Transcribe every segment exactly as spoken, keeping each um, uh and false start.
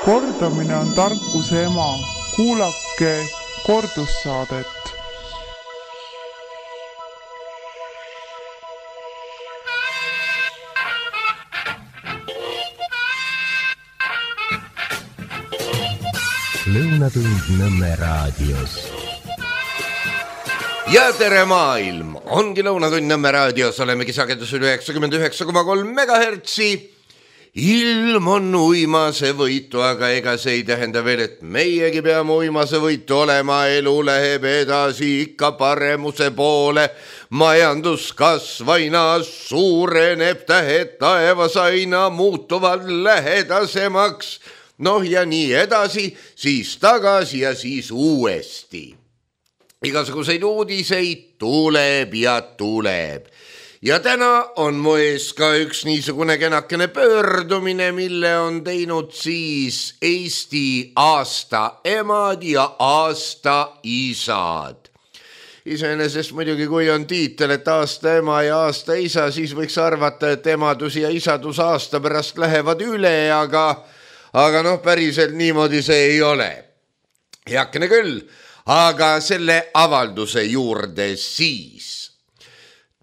Kordamine on tarkuse ema. Kuulake kordussaadet. Lõunatund Nõmme raadios. Ja tere maailm! Ongi Lõunatund Nõmme raadios. Olemegi sagedusel üheksakümmend üheksa koma kolm megahertsi. Ilm on uimase võitu, aga ega see ei tähenda veel, et meiegi peame uimase võitu olema. Elu läheb edasi ikka paremuse poole. Majanduskasv aina suureneb, tähed taevas aina muutuvad lähedasemaks. Noh ja nii edasi, siis tagasi ja siis uuesti. Igasuguseid uudiseid tuleb ja tuleb. Ja täna on mu ees ka üks niisugune kenakene pöördumine, mille on teinud siis Eesti aasta emad ja aasta isad. Iseenesest muidugi, kui on tiitel, et aasta ema ja aasta isa, siis võiks arvata, et emadus ja isadus aasta pärast lähevad üle, aga... Aga noh, päriselt niimoodi see ei ole. Heakene küll, aga selle avalduse juurde siis.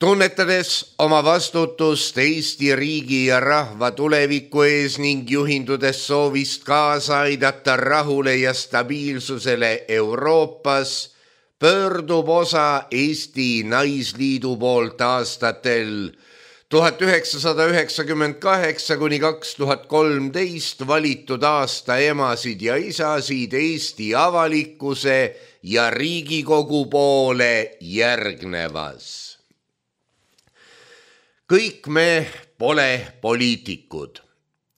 Tunnetades oma vastutust Eesti riigi ja rahva tuleviku ees ning juhindudes soovist kaasa aidata rahule ja stabiilsusele Euroopas, pöördub osa Eesti Naisliidu poolt aastatel tuhat üheksasada üheksakümmend kaheksa kuni kaks tuhat kolmteist valitud aasta emasid ja isasid Eesti avalikkuse ja Riigikogu poole järgnevas. Kõik me pole poliitikud,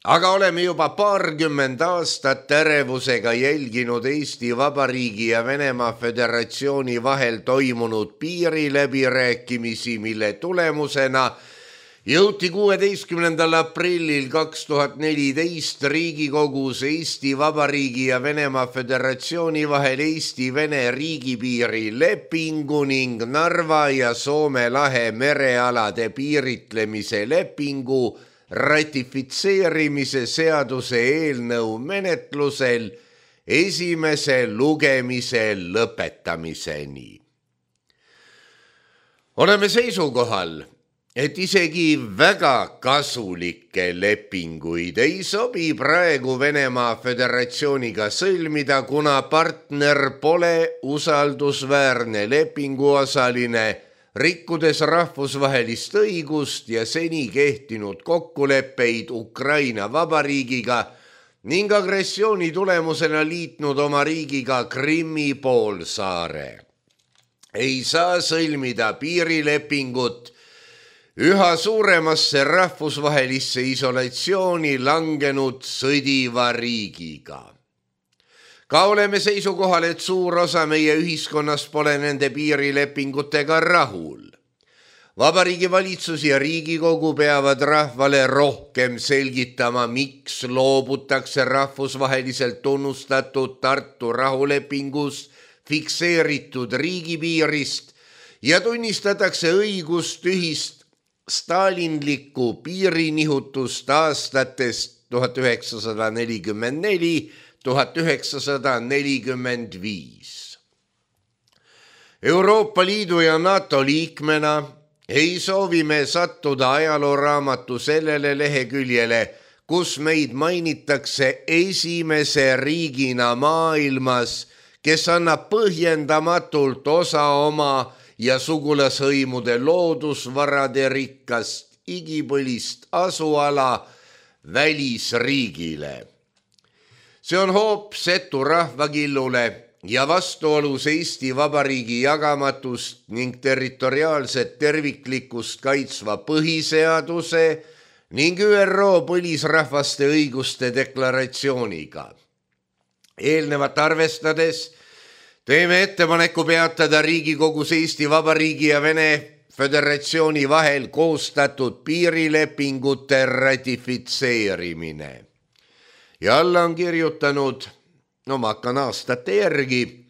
aga oleme juba paarkümmend aastat ärevusega jälginud Eesti Vabariigi ja Venemaa Föderatsiooni vahel toimunud piiriläbirääkimisi, mille tulemusena jõuti kuueteistkümnendal aprillil kaks tuhat neliteist Riigikogus Eesti Vabariigi ja Venemaa Föderatsiooni vahel Eesti-Vene riigipiiri lepingu ning Narva ja Soome lahe merealade piiritlemise lepingu ratifitseerimise seaduse eelnõu menetlusel esimese lugemise lõpetamiseni. Oleme seisukohal, et isegi väga kasulikke lepinguid ei sobi praegu Venemaa Föderatsiooniga sõlmida, kuna partner pole usaldusväärne lepinguosaline, rikkudes rahvusvahelist õigust ja seni kehtinud kokkuleppeid Ukraina vabariigiga ning agressiooni tulemusena liitnud oma riigiga Krimmi poolsaare. Ei saa sõlmida piirilepingut üha suuremasse rahvusvahelisse isolatsiooni langenud sõdiva riigiga. Ka oleme seisukohal, et suur osa meie ühiskonnas pole nende piirilepingutega rahul. Vabariigi valitsus ja Riigikogu peavad rahvale rohkem selgitama, miks loobutakse rahvusvaheliselt tunnustatud Tartu rahulepingus fikseeritud riigipiirist ja tunnistatakse õigust ühist stalinlikku piirinihutust aastatest tuhat üheksasada nelikümmend neli kuni tuhat üheksasada nelikümmend viis. Euroopa Liidu ja NATO liikmena ei soovi me sattuda ajalooraamatu sellele leheküljele, kus meid mainitakse esimese riigina maailmas, kes annab põhjendamatult osa oma ja sugulashõimude loodusvarade rikkast igipõlist asuala välisriigile. See on hoop setu rahvakillule ja vastuolus Eesti Vabariigi jagamatust ning territoriaalset terviklikkust kaitsva põhiseaduse ning ÜRO põlisrahvaste õiguste deklaratsiooniga. Eelnevat arvestades teeme ettepaneku peatada Riigikogus Eesti Vabariigi ja Vene Föderatsiooni vahel koostatud piirilepingute ratifitseerimine. Ja alla on kirjutanud, no ma hakkan aastate järgi,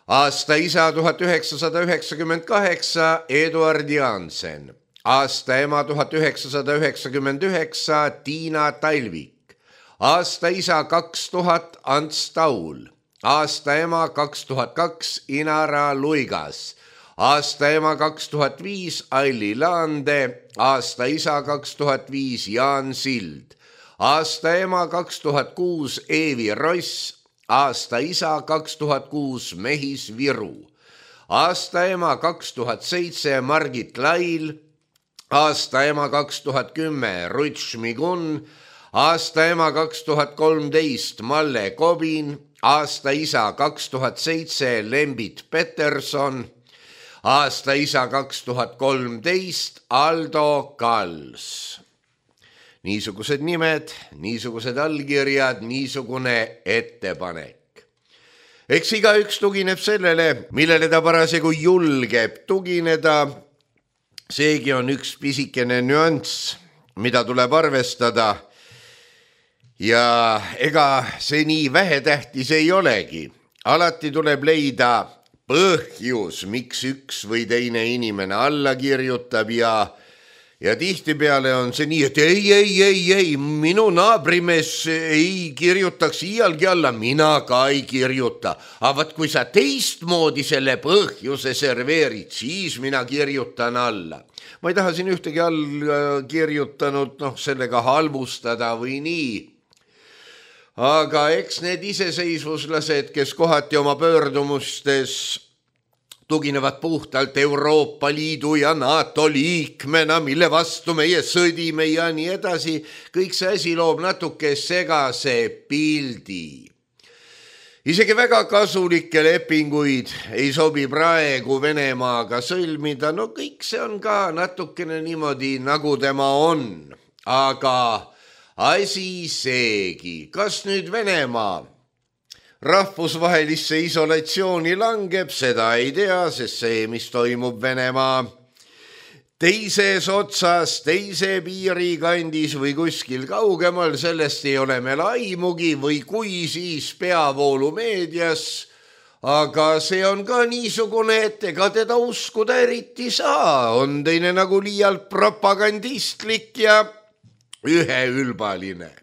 aasta isa tuhat üheksasada üheksakümmend kaheksa Eduard Jansen, aasta ema tuhat üheksasada üheksakümmend üheksa Tiina Talvik, aasta isa kaks tuhat Ants Taul, aasta ema kaks tuhat kaks Inara Luigas, aasta ema kaks tuhat viis Aili Laande, aasta isa kaks tuhat viis Jaan Sild, aasta ema kaks tuhat kuus Eevi Ross, aasta isa kaks tuhat kuus Mehis Viru, aasta ema kaks tuhat seitse Margit Lail, aasta ema kaks tuhat kümme Ruth Šmigun, aasta ema kaks tuhat kolmteist Malle Kobin, aasta isa kaks tuhat seitse Lembit Peterson, aasta isa kaks tuhat kolmteist Aldo Kals. Niisugused nimed, niisugused allkirjad, niisugune ettepanek. Eks igaüks tugineb sellele, millele ta parasjagu julgeb tugineda. Seegi on üks pisikene nüanss, mida tuleb arvestada. Ja ega see nii vähetähtis ei olegi. Alati tuleb leida põhjus, miks üks või teine inimene alla kirjutab ja Ja tihtipeale on see nii, et ei, ei, ei, ei, minu naabrimees ei kirjutaks iialgi alla, mina ka ei kirjuta. Aga vaat kui sa teistmoodi selle põhjuse serveerid, siis mina kirjutan alla. Ma ei taha siin ühtegi all kirjutanud noh, sellega halvustada või nii. Aga eks need iseseisvuslased, kes kohati oma pöördumustes tuginevad puhtalt Euroopa Liidu ja NATO liikmena, mille vastu meie sõdime ja nii edasi. Kõik see asi loob natuke segase pildi. Isegi väga kasulikke lepinguid ei sobi praegu Venemaaga sõlmida. No kõik see on ka natukene niimoodi, nagu tema on. Aga asi seegi, kas nüüd Venemaa rahvusvahelisse isolatsiooni langeb, seda ei tea, sest see, mis toimub Venemaa teises otsas, teise piiri kandis või kuskil kaugemal, sellest ei ole meil aimugi või kui siis peavoolumeedias, aga see on ka niisugune, et ega teda uskuda eriti saa, on teine nagu liialt propagandistlik ja üheülbaline.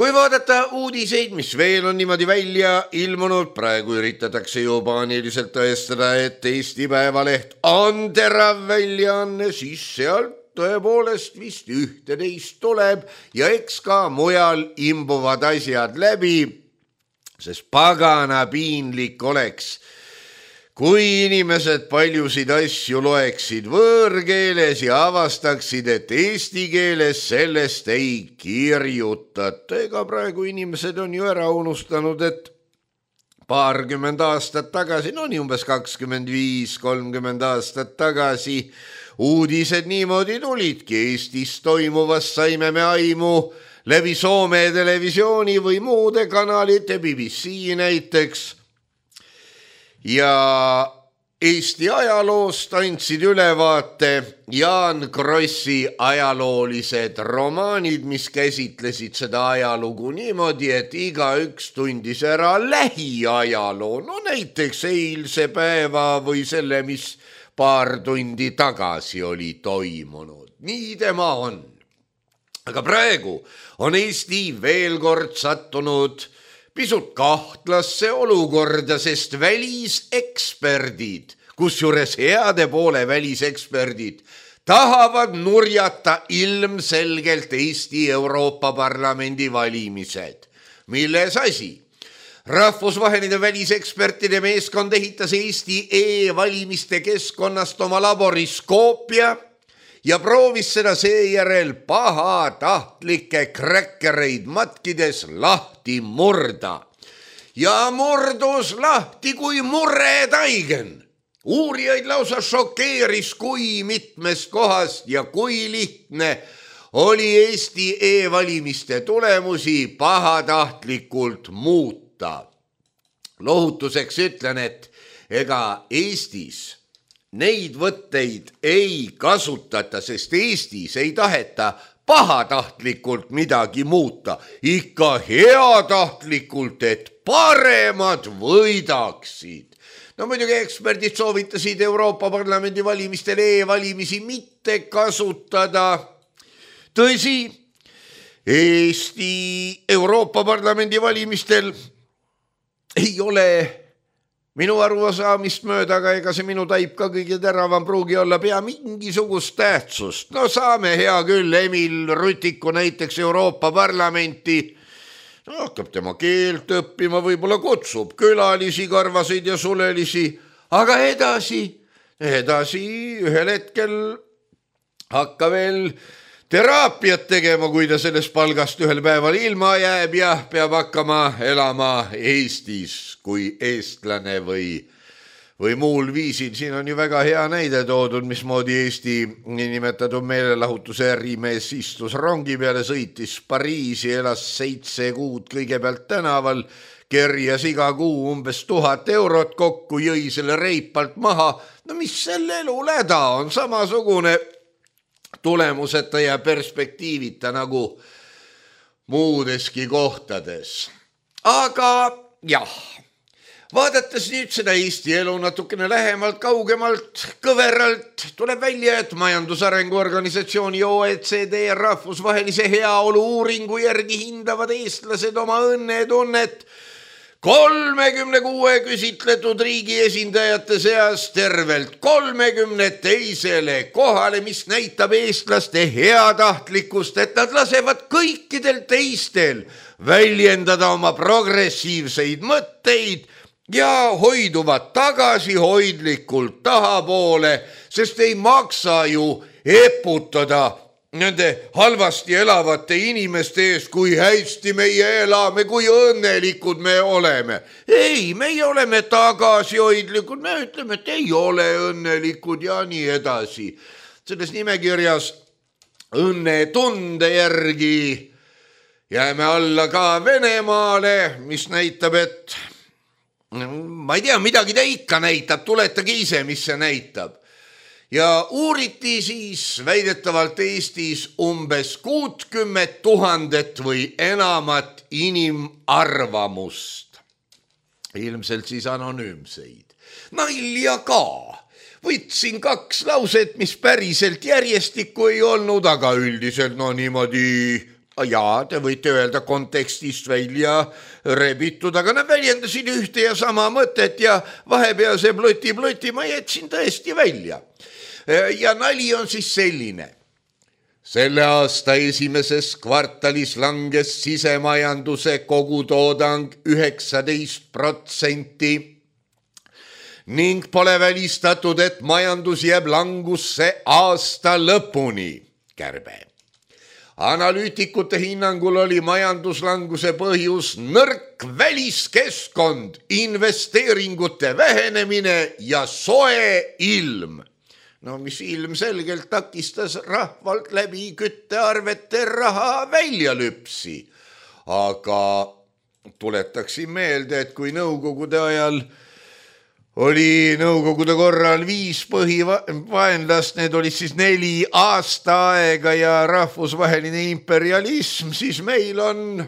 Kui vaadata uudiseid, mis veel on niimoodi välja ilmunud, praegu üritatakse ju paaniliselt tõestada, et Eesti Päevaleht on terav väljaanne, siis sealt tõepoolest vist ühteteist tuleb ja eks ka mujal imbuvad asjad läbi, sest pagana piinlik oleks, kui inimesed paljusid asju loeksid võõrkeeles ja avastaksid, et eesti keeles sellest ei kirjutata. Ega praegu inimesed on ju ära unustanud, et paarkümmend aastat tagasi, no nii umbes kakskümmend viis kolmkümmend aastat tagasi, uudised niimoodi tulidki. Eestis toimuvast saime me aimu läbi Soome televisiooni või muude kanalite, B B C näiteks. Ja Eesti ajaloost andsid ülevaate Jaan Krossi ajaloolised romaanid, mis käsitlesid seda ajalugu niimoodi, et igaüks tundis ära lähiajaloo, no näiteks eilse päeva või selle, mis paar tundi tagasi oli toimunud. Nii tema on. Aga praegu on Eesti veel kord sattunud pisut kahtlasse olukorda, sest väliseksperdid, kusjuures heade poole väliseksperdid, tahavad nurjata ilmselgelt Eesti Euroopa Parlamendi valimised. Milles asi? Rahvusvaheline välisekspertide meeskond ehitas Eesti e-valimiste keskkonnast oma laboriskoopia ja proovis seda seejärel pahatahtlikke kräkkereid matkides lahti murda. Ja murdus lahti kui muretaigen. Uurijaid lausa šokeeris, kui mitmest kohast ja kui lihtne oli Eesti e-valimiste tulemusi pahatahtlikult muuta. Lohutuseks ütlen, et ega Eestis neid võtteid ei kasutata, sest Eestis ei taheta pahatahtlikult midagi muuta, ikka heatahtlikult, et paremad võidaksid. No muidugi eksperdid soovitasid Euroopa Parlamendi valimistel e-valimisi mitte kasutada. Tõsi, Eesti Euroopa Parlamendi valimistel ei ole minu arusaamist mööda, aga ega see minu taip ka kõige teravam pruugi olla pea mingisugust tähtsust. No saame hea küll Emil Rutiku näiteks Euroopa Parlamenti, no, hakkab tema keelt õppima, võib-olla kutsub külalisi, karvaseid ja sulelisi, aga edasi, edasi ühel hetkel hakka veel teraapiat tegema, kui ta sellest palgast ühel päeval ilma jääb ja peab hakkama elama Eestis kui eestlane või, või muul viisil. Siin on ju väga hea näide toodud, mismoodi Eesti niinimetatud meelelahutuse ärimees istus rongi peale, sõitis Pariisi, elas seitse kuud kõigepealt tänaval, kerjas iga kuu umbes tuhat eurot kokku, jõi selle reipalt maha. No mis selle elu läda on, samasugune tulemuseta ja perspektiivita nagu muudeski kohtades. Aga jah, vaadates nüüd seda Eesti elu natukene lähemalt, kaugemalt, kõveralt, tuleb välja, et Majandusarengu Organisatsiooni O E C D rahvusvahelise heaolu uuringu järgi hindavad eestlased oma õnnetunnet kolmekümne kuue küsitletud riigi esindajate seas tervelt kolmekümne teisele kohale, mis näitab eestlaste heatahtlikkust, et nad lasevad kõikidel teistel väljendada oma progressiivseid mõtteid ja hoiduvad tagasihoidlikult tahapoole, sest ei maksa ju eputada nende halvasti elavate inimeste ees, kui hästi meie elame, kui õnnelikud me oleme. Ei, meie oleme tagasihoidlikud, me ütleme, et ei ole õnnelikud ja nii edasi. Selles nimekirjas õnnetunde järgi jääme alla ka Venemaale, mis näitab, et ma ei tea, midagi ta ikka näitab, tuletage ise, mis see näitab. Ja uuriti siis väidetavalt Eestis umbes kuutkümmet tuhandet või enamat inimarvamust. Ilmselt siis anonüümseid. Nalja ka. Võtsin kaks lauset, mis päriselt järjestikku ei olnud, aga üldiselt no niimoodi, jaa, te võite öelda kontekstist välja rebitud, aga nad väljendasid ühte ja sama mõtet ja vahepealse ploti-ploti ma jätsin tõesti välja. Ja nali on siis selline. Selle aasta esimeses kvartalis langes sisemajanduse kogutoodang üheksateist protsenti ning pole välistatud, et majandus jääb langusse aasta lõpuni. Kärbe. Analüütikute hinnangul oli majanduslanguse põhjus nõrk väliskeskkond, investeeringute vähenemine ja soe ilm. No mis ilmselgelt takistas rahvalt läbi küttearvete raha välja lüpsi. Aga tuletaksin meelde, et kui nõukogude ajal oli nõukogude korral viis põhivaenlast, need olid siis neli aasta aega ja rahvusvaheline imperialism, siis meil on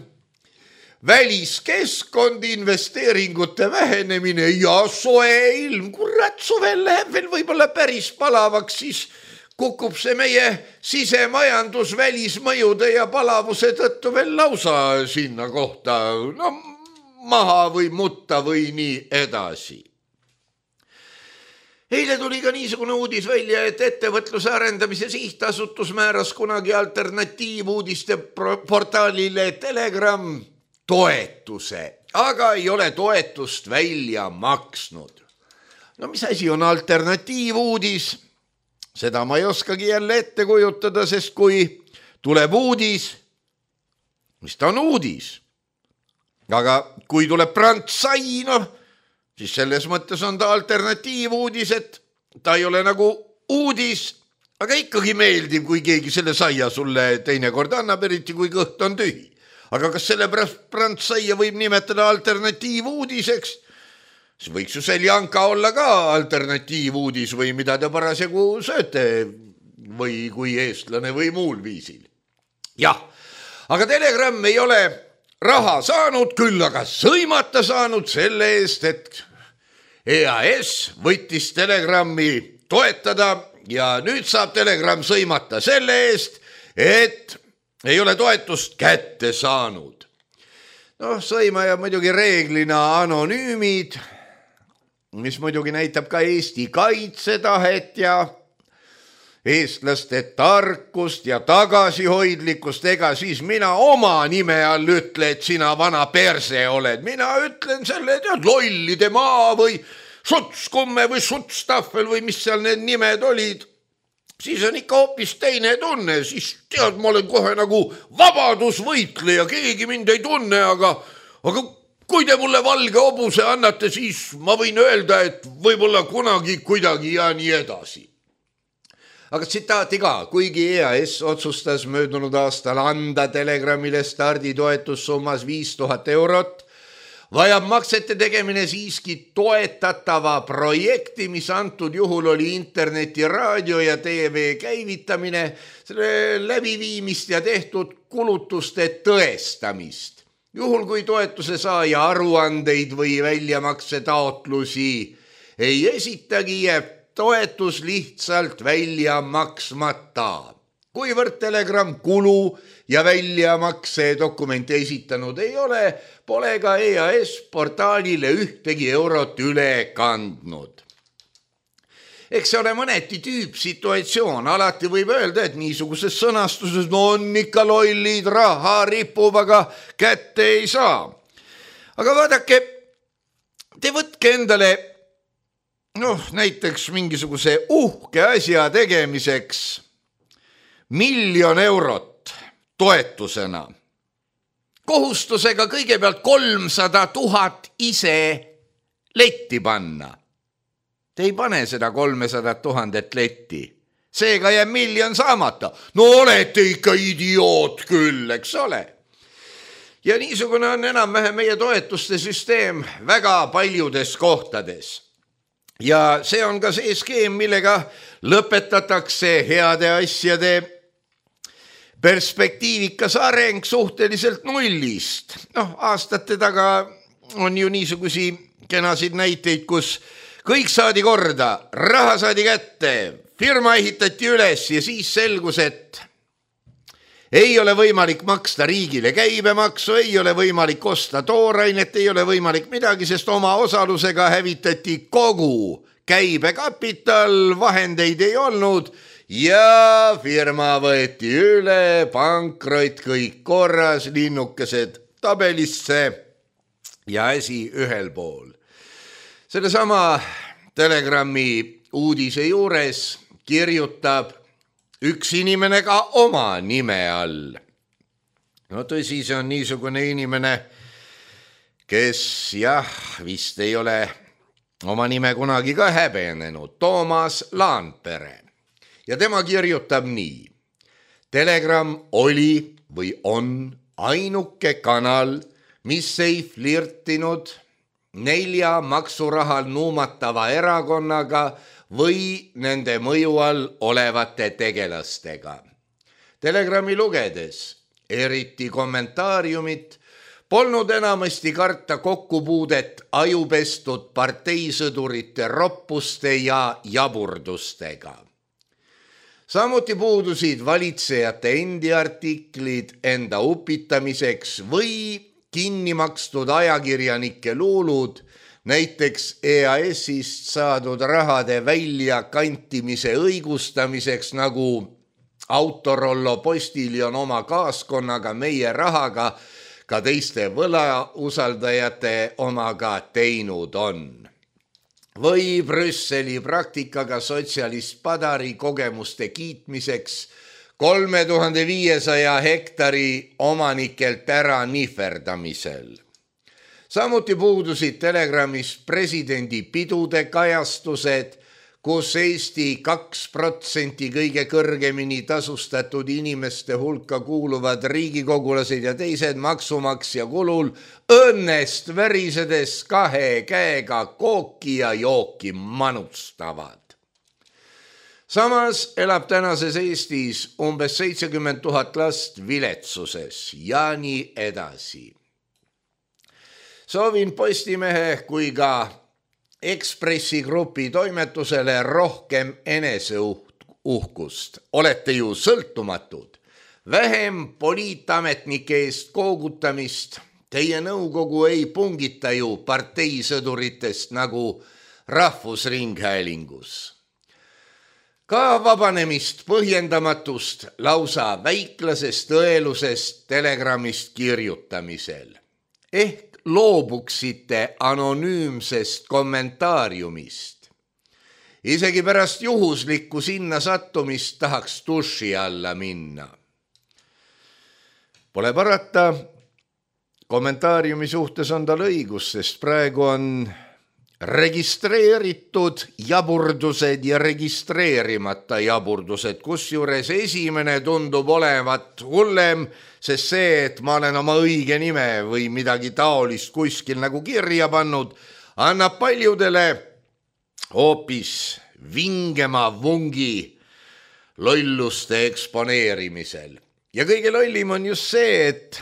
väliskeskkond, investeeringute vähenemine ja soe ilm. Kurat, suvel läheb veel võib-olla päris palavaks, siis kukub see meie sisemajandus välismõjude ja palavuse tõttu veel lausa sinna kohta no, maha või mutta või nii edasi. Eile tuli ka niisugune uudis välja, et ettevõtluse arendamise sihtasutus määras kunagi alternatiivuudiste portaalile Telegram toetuse, aga ei ole toetust välja maksnud. No mis asi on alternatiivuudis? Seda ma ei oskagi jälle ette kujutada, sest kui tuleb uudis, mis ta on uudis? Aga kui tuleb prantsai, noh, siis selles mõttes on ta alternatiivuudis, et ta ei ole nagu uudis, aga ikkagi meeldib, kui keegi selle saia sulle teinekord annab, eriti kui kõht on tühi. Aga kas selle pärast prantsaia võib nimetada alternatiivuudiseks? siis võiks ju seljanka olla ka alternatiivuudis või mida te parasjagu sööte või kui eestlane või muul viisil. Jah, aga Telegram ei ole raha saanud, küll aga sõimata saanud selle eest, et E A S võttis Telegrami toetada ja nüüd saab Telegram sõimata selle eest, et ei ole toetust kätte saanud. Noh, sõimaja muidugi reeglina anonüümid, mis muidugi näitab ka Eesti kaitsetahet ja eestlaste tarkust ja tagasihoidlikkust, ega siis mina oma nime all ütle, et sina vana perse oled. Mina ütlen selle tead, lollide maa või šutskumme või šutstahvel või mis seal need nimed olid. Siis on ikka hoopis teine tunne, siis tead, ma olen kohe nagu vabadusvõitleja, keegi mind ei tunne, aga, aga kui te mulle valge hobuse annate, siis ma võin öelda, et võib-olla kunagi kuidagi ja nii edasi. Aga tsitaati ka, kuigi E A S otsustas möödunud aastal anda Telegramile starditoetussummas viis tuhat eurot, vajab maksete tegemine siiski toetatava projekti, mis antud juhul oli interneti, raadio ja T V käivitamine, selle läbiviimist ja tehtud kulutuste tõestamist. Juhul kui toetuse saaja aruandeid või väljamakse taotlusi ei esitagi, jääb toetus lihtsalt välja maksmata. Kuivõrd Telegram kulu ja väljamakse dokumente esitanud ei ole, pole ka E A S portaalile ühtegi eurot üle kandnud. Eks see ole mõneti tüüpsituatsioon, alati võib öelda, et niisuguses sõnastuses no on ikka lollid, raha ripub, aga kätte ei saa. Aga vaadake, te võtke endale noh, näiteks mingisuguse uhke asja tegemiseks miljon eurot toetusena. Kohustusega kõigepealt kolmsada tuhat ise letti panna. Te ei pane seda kolmsada tuhandet letti. Seega jääb miljon saamata. No olete ikka idioot küll, eks ole. Ja niisugune on enam-vähem meie toetuste süsteem väga paljudes kohtades. Ja see on ka see skeem, millega lõpetatakse heade asjade perspektiivikas areng suhteliselt nullist. Noh, aastate taga on ju niisugusi kenasid näiteid, kus kõik saadi korda, raha saadi kätte, firma ehitati üles ja siis selgus, et ei ole võimalik maksta riigile käibemaksu, ei ole võimalik osta toorainet, ei ole võimalik midagi, sest oma osalusega hävitati kogu käibekapital, vahendeid ei olnud ja firma võeti üle, pankrot, kõik korras, linnukesed tabelisse ja asi ühel pool. Selle sama Telegrami uudise juures kirjutab üks inimene ka oma nime all. No tõsi, see on niisugune inimene, kes jah, vist ei ole oma nime kunagi ka häbenenud, Toomas Laanpere. Ja tema kirjutab nii. Telegram oli või on ainuke kanal, mis ei flirtinud nelja maksurahal nuumatava erakonnaga või nende mõju all olevate tegelastega. Telegrami lugedes, eriti kommentaariumit, polnud enamasti karta kokkupuudet ajupestud parteisõdurite roppuste ja jaburdustega. Samuti puudusid valitsejate endi artiklid enda upitamiseks või kinni makstud ajakirjanike luulud, näiteks E A S-ist saadud rahade väljakantimise õigustamiseks, nagu Autorollo postiljon oma kaaskonnaga meie rahaga ka teiste võlausaldajate omaga teinud on. Või Brüsseli praktikaga sotsialist Padari kogemuste kiitmiseks kolme tuhande viiesaja hektari omanikelt ära nihverdamisel. Samuti puudusid Telegramis presidendi pidude kajastused, kus Eesti kaks protsenti kõige kõrgemini tasustatud inimeste hulka kuuluvad riigikogulased ja teised maksumaksja kulul õnnest värisedes kahe käega kooki ja jooki manustavad. Samas elab tänases Eestis umbes seitsekümmend tuhat last viletsuses ja nii edasi. Soovin Postimehe kui ka Ekspressi grupi toimetusele rohkem eneseuhkust. Olete ju sõltumatud. vähem poliitametnike eest koogutamist. Teie nõukogu ei pungita ju parteisõduritest nagu Rahvusringhäälingus. Ka vabanemist põhjendamatust lausa väiklasest õelusest telegramist kirjutamisel. Ehk loobuksite anonüümsest kommentaariumist. Isegi pärast juhuslikku sinna sattumist tahaks duši alla minna. Pole parata, kommentaariumi suhtes on tal õigus, sest praegu on registreeritud jaburdused ja registreerimata jaburdused, kusjuures esimene tundub olevat hullem, sest see, et ma olen oma õige nime või midagi taolist kuskil nagu kirja pannud, annab paljudele hoopis vingema vungi lolluste eksponeerimisel. Ja kõige lollim on just see, et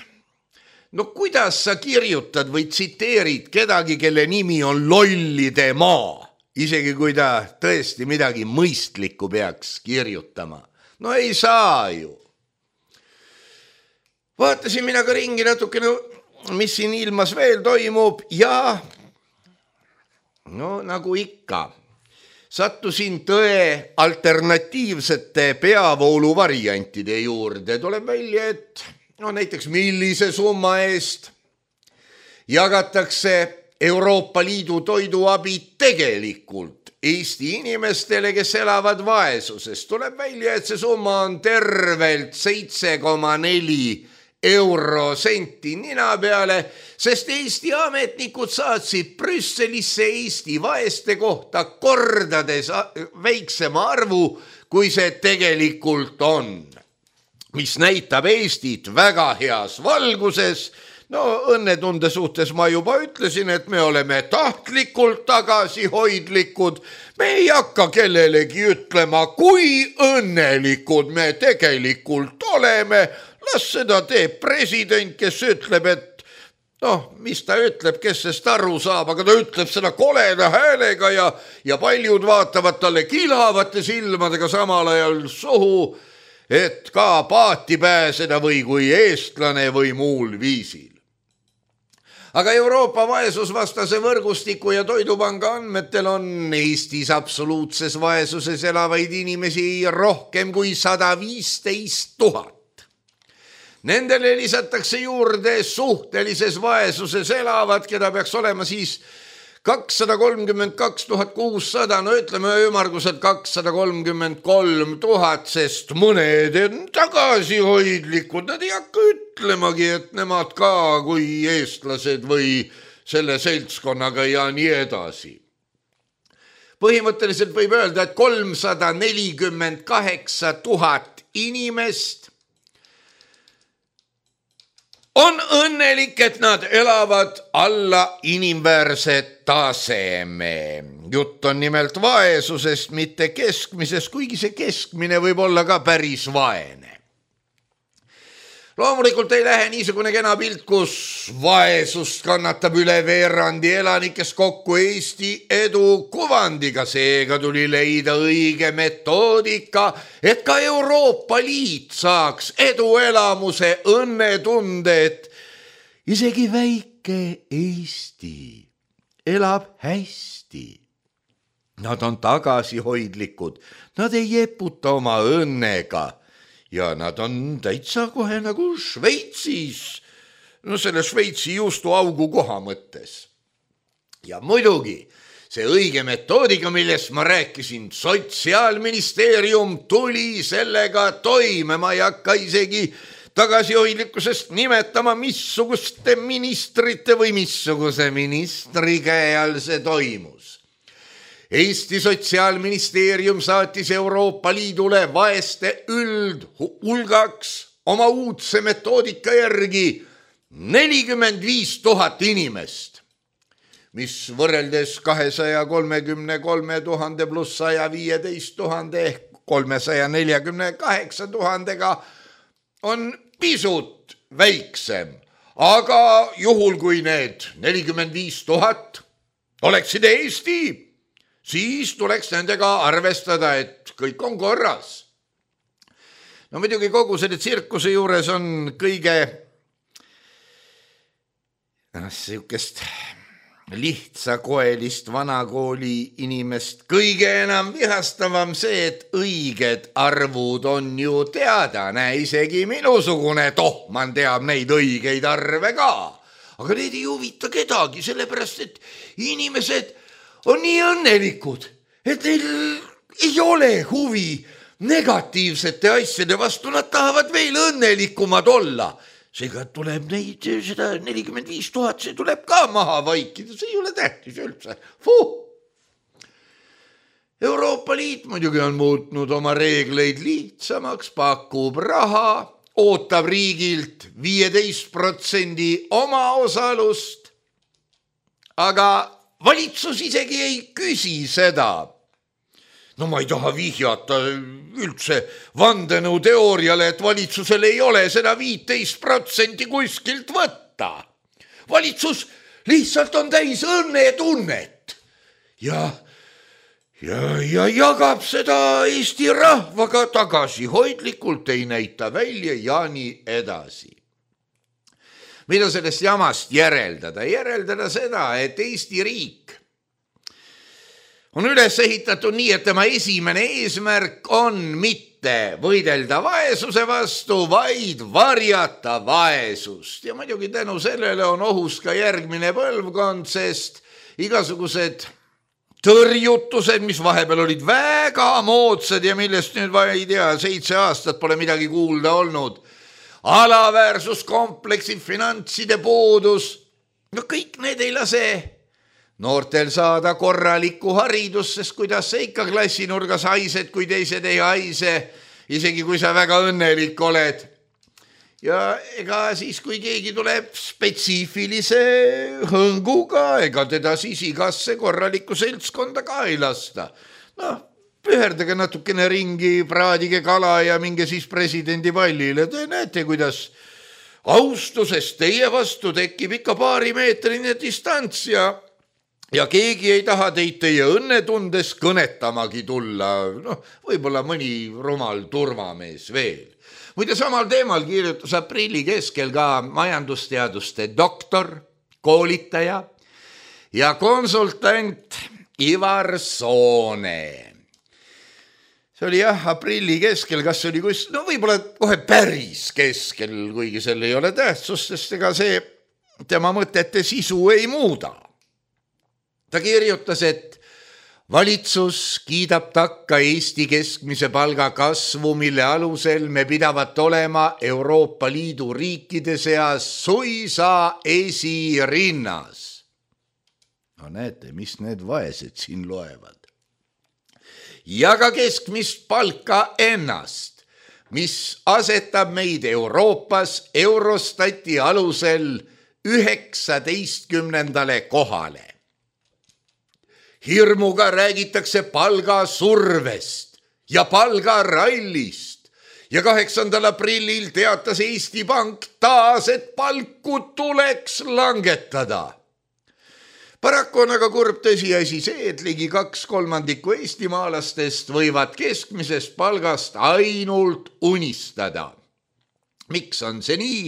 no kuidas sa kirjutad või tsiteerid kedagi, kelle nimi on Lollide maa, isegi kui ta tõesti midagi mõistlikku peaks kirjutama. No ei saa ju. Vaatasin mina ka ringi natukene, mis siin ilmas veel toimub ja no nagu ikka, sattusin tõe alternatiivsete peavoolu variantide juurde. Tuleb välja, et no näiteks millise summa eest jagatakse Euroopa Liidu toiduabi tegelikult Eesti inimestele, kes elavad vaesuses. Tuleb välja, et see summa on tervelt seitse koma neli eurosenti nina peale, sest Eesti ametnikud saatsid Brüsselisse Eesti vaeste kohta kordades väiksema arvu, kui see tegelikult on, mis näitab Eestit väga heas valguses. No õnnetunde suhtes ma juba ütlesin, et me oleme tahtlikult tagasihoidlikud. Me ei hakka kellelegi ütlema, kui õnnelikud me tegelikult oleme. Las seda teeb president, kes ütleb, et noh, mis ta ütleb, kes sest aru saab, aga ta ütleb seda koleda häälega ja, ja paljud vaatavad talle kilavate silmadega samal ajal suhu, et ka paati pääseda või kui eestlane või muul viisil. Aga Euroopa vaesusvastase võrgustiku ja Toidupanga andmetel on Eestis absoluutses vaesuses elavaid inimesi rohkem kui sada viisteist tuhat. Nendele lisatakse juurde suhtelises vaesuses elavad, keda peaks olema siis kakssada kolmkümmend kaks tuhat kuussada, no ütleme ümarguselt kakssada kolmkümmend kolm tuhat, sest mõned on tagasihoidlikud, nad ei hakka ütlemagi, et nemad ka kui eestlased või selle seltskonnaga ja nii edasi. Põhimõtteliselt võib öelda, et kolmsada nelikümmend kaheksa tuhat inimest on õnnelik, et nad elavad alla inimväärse taseme. Jutt on nimelt vaesusest, mitte keskmisest, kuigi see keskmine võib olla ka päris vaene. Loomulikult ei lähe niisugune kena pilt, kus vaesust kannatab üle veerandi elanikest kokku Eesti edu kuvandiga. Seega tuli leida õige metoodika, et ka Euroopa Liit saaks eduelamuse õnnetunde, et isegi väike Eesti elab hästi. Nad on tagasihoidlikud, nad ei jeputa oma õnnega. Ja nad on täitsa kohe nagu Šveitsis, no selle Šveitsi juustu augu koha mõttes. Ja muidugi see õige metoodika, millest ma rääkisin, Sotsiaalministeerium tuli sellega toime. Ma ei hakka isegi tagasihoidlikkusest nimetama, missuguste ministrite või missuguse ministri käe all see toimus. Eesti Sotsiaalministeerium saatis Euroopa Liidule vaeste üldhulgaks oma uudse metoodika järgi nelikümmend viis tuhat inimest, mis võrreldes kahesaja kolmekümne kolme tuhande pluss saja viieteist tuhande ehk kolmesaja neljakümne kaheksa tuhandega on pisut väiksem. Aga juhul, kui need nelikümmend viis tuhat oleksid Eesti, siis tuleks nendega arvestada, et kõik on korras. no muidugi kogu selle tsirkuse juures on kõige sihukest lihtsakoelist vanakooli inimest kõige enam vihastavam see, et õiged arvud on ju teada, näe isegi minusugune tohman teab neid õigeid arve ka, aga need ei huvita kedagi, sellepärast et inimesed on nii õnnelikud, et neil ei ole huvi negatiivsete asjade vastu, nad tahavad veel õnnelikumad olla. Seega tuleb neid seda nelikümmend viis tuhat, see tuleb ka maha vaikida, see ei ole tähtis üldse. Fuh! Euroopa Liit muidugi on muutnud oma reegleid lihtsamaks, pakub raha, ootab riigilt viieteist protsendi omaosalust, aga valitsus isegi ei küsi seda. No ma ei taha vihjata üldse vandenõuteooriale, et valitsusel ei ole seda viiteist protsenti kuskilt võtta. Valitsus lihtsalt on täis õnnetunnet ja, ja, ja jagab seda Eesti rahvaga tagasihoidlikult, ei näita välja ja nii edasi. Mida sellest jamast järeldada? Järeldada seda, et Eesti riik on üles ehitatud nii, et tema esimene eesmärk on mitte võidelda vaesuse vastu, vaid varjata vaesust. Ja muidugi tänu sellele on ohus ka järgmine põlvkond, sest igasugused tõrjutused, mis vahepeal olid väga moodsad ja millest nüüd, ei tea, seitse aastat pole midagi kuulda olnud, alaväärsuskompleksi, finantside puudus, no kõik need ei lase noortel saada korralikku haridust, sest kuidas sa ikka klassinurgas haised, kui teised ei haise, isegi kui sa väga õnnelik oled. Ja ega siis, kui keegi tuleb spetsiifilise hõnguga, ega teda siis igasse korralikku seltskonda ka ei lasta. No, püherdage natukene ringi, praadige kala ja minge siis presidendi pallile. Te näete, kuidas austusest teie vastu tekib ikka paari meetrine distants ja Ja keegi ei taha teid teie õnnetundes kõnetamagi tulla, noh, võib-olla mõni rumal turvamees veel. Muide samal teemal kirjutas aprilli keskel ka majandusteaduste doktor, koolitaja ja konsultant Ivar Soone. See oli jah, aprilli keskel, kas oli kus, no võib-olla kohe päris keskel, kuigi seal ei ole tähtsust, sest ega see tema mõtete sisu ei muuda. Ta kirjutas, et valitsus kiidab takka Eesti keskmise palga kasvu, mille alusel me pidavat olema Euroopa Liidu riikide seas suisa esirinnas. No näete, mis need vaesed siin loevad. Ja ka keskmist palka ennast, mis asetab meid Euroopas Eurostati alusel üheksateistkümnendale kohale. Hirmuga räägitakse palgasurvest ja palgarallist ja kaheksandal aprillil teatas Eesti Pank taas, et palku tuleks langetada. Paraku on aga kurb tõsiasi see, et ligi kaks kolmandikku eestimaalastest võivad keskmisest palgast ainult unistada. Miks on see nii?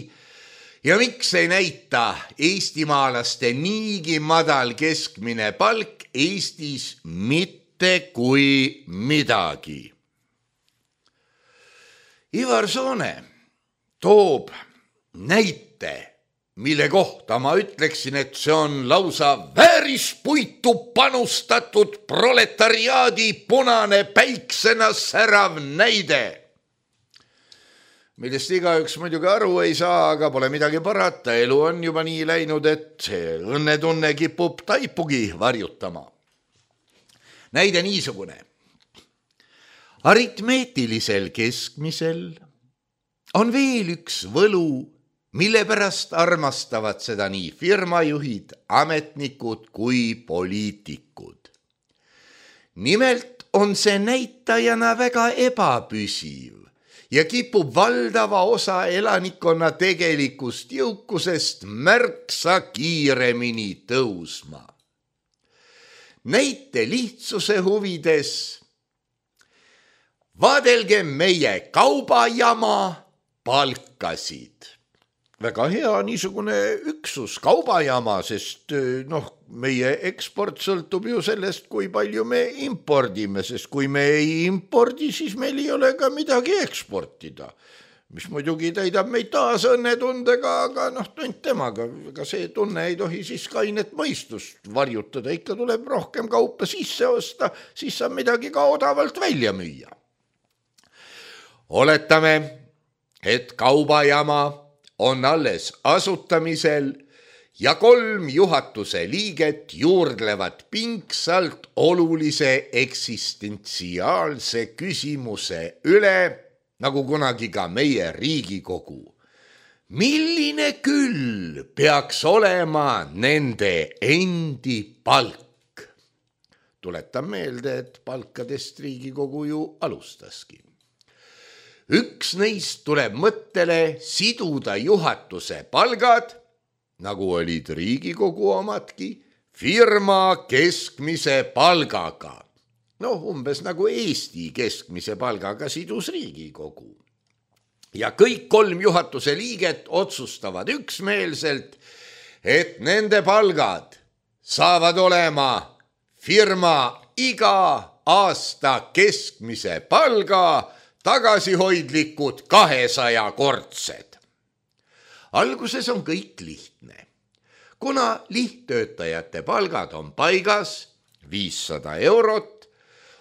Ja miks ei näita eestimaalaste niigi madal keskmine palk Eestis mitte kui midagi? Ivar Soone toob näite, mille kohta ma ütleksin, et see on lausa väärispuitu panustatud proletariaadi punane päiksena särav näide, millest igaüks muidugi aru ei saa, aga pole midagi parata. Elu on juba nii läinud, et see õnnetunne kipub taipugi varjutama. Näide niisugune. Aritmeetilisel keskmisel on veel üks võlu, mille pärast armastavad seda nii firmajuhid, ametnikud kui poliitikud. Nimelt on see näitajana väga ebapüsiv ja kipub valdava osa elanikkonna tegelikust jõukusest märksa kiiremini tõusma. Näite lihtsuse huvides vaadelge meie kaubajama palkasid. Väga hea niisugune üksus kaubajama, sest noh, meie eksport sõltub ju sellest, kui palju me impordime, sest kui me ei impordi, siis meil ei ole ka midagi eksportida, mis muidugi täidab meid taas õnnetundega, aga noh, tund temaga, aga see tunne ei tohi siis kainet mõistust varjutada, ikka tuleb rohkem kaupa sisse osta, siis saab midagi ka odavalt välja müüa. Oletame, et kaubajama on alles asutamisel ja kolm juhatuse liiget juurdlevad pingsalt olulise eksistentsiaalse küsimuse üle, nagu kunagi ka meie Riigikogu. Milline küll peaks olema nende endi palk? Tuletan meelde, et palkadest Riigikogu ju alustaski. Üks neist tuleb mõttele siduda juhatuse palgad, nagu olid Riigikogu omadki, firma keskmise palgaga. No umbes nagu Eesti keskmise palgaga sidus Riigikogu. Ja kõik kolm juhatuse liiget otsustavad üksmeelselt, et nende palgad saavad olema firma iga aasta keskmise palga tagasihoidlikud kahesaja kordsed. Alguses on kõik lihtne. Kuna lihttöötajate palgad on paigas viissada eurot,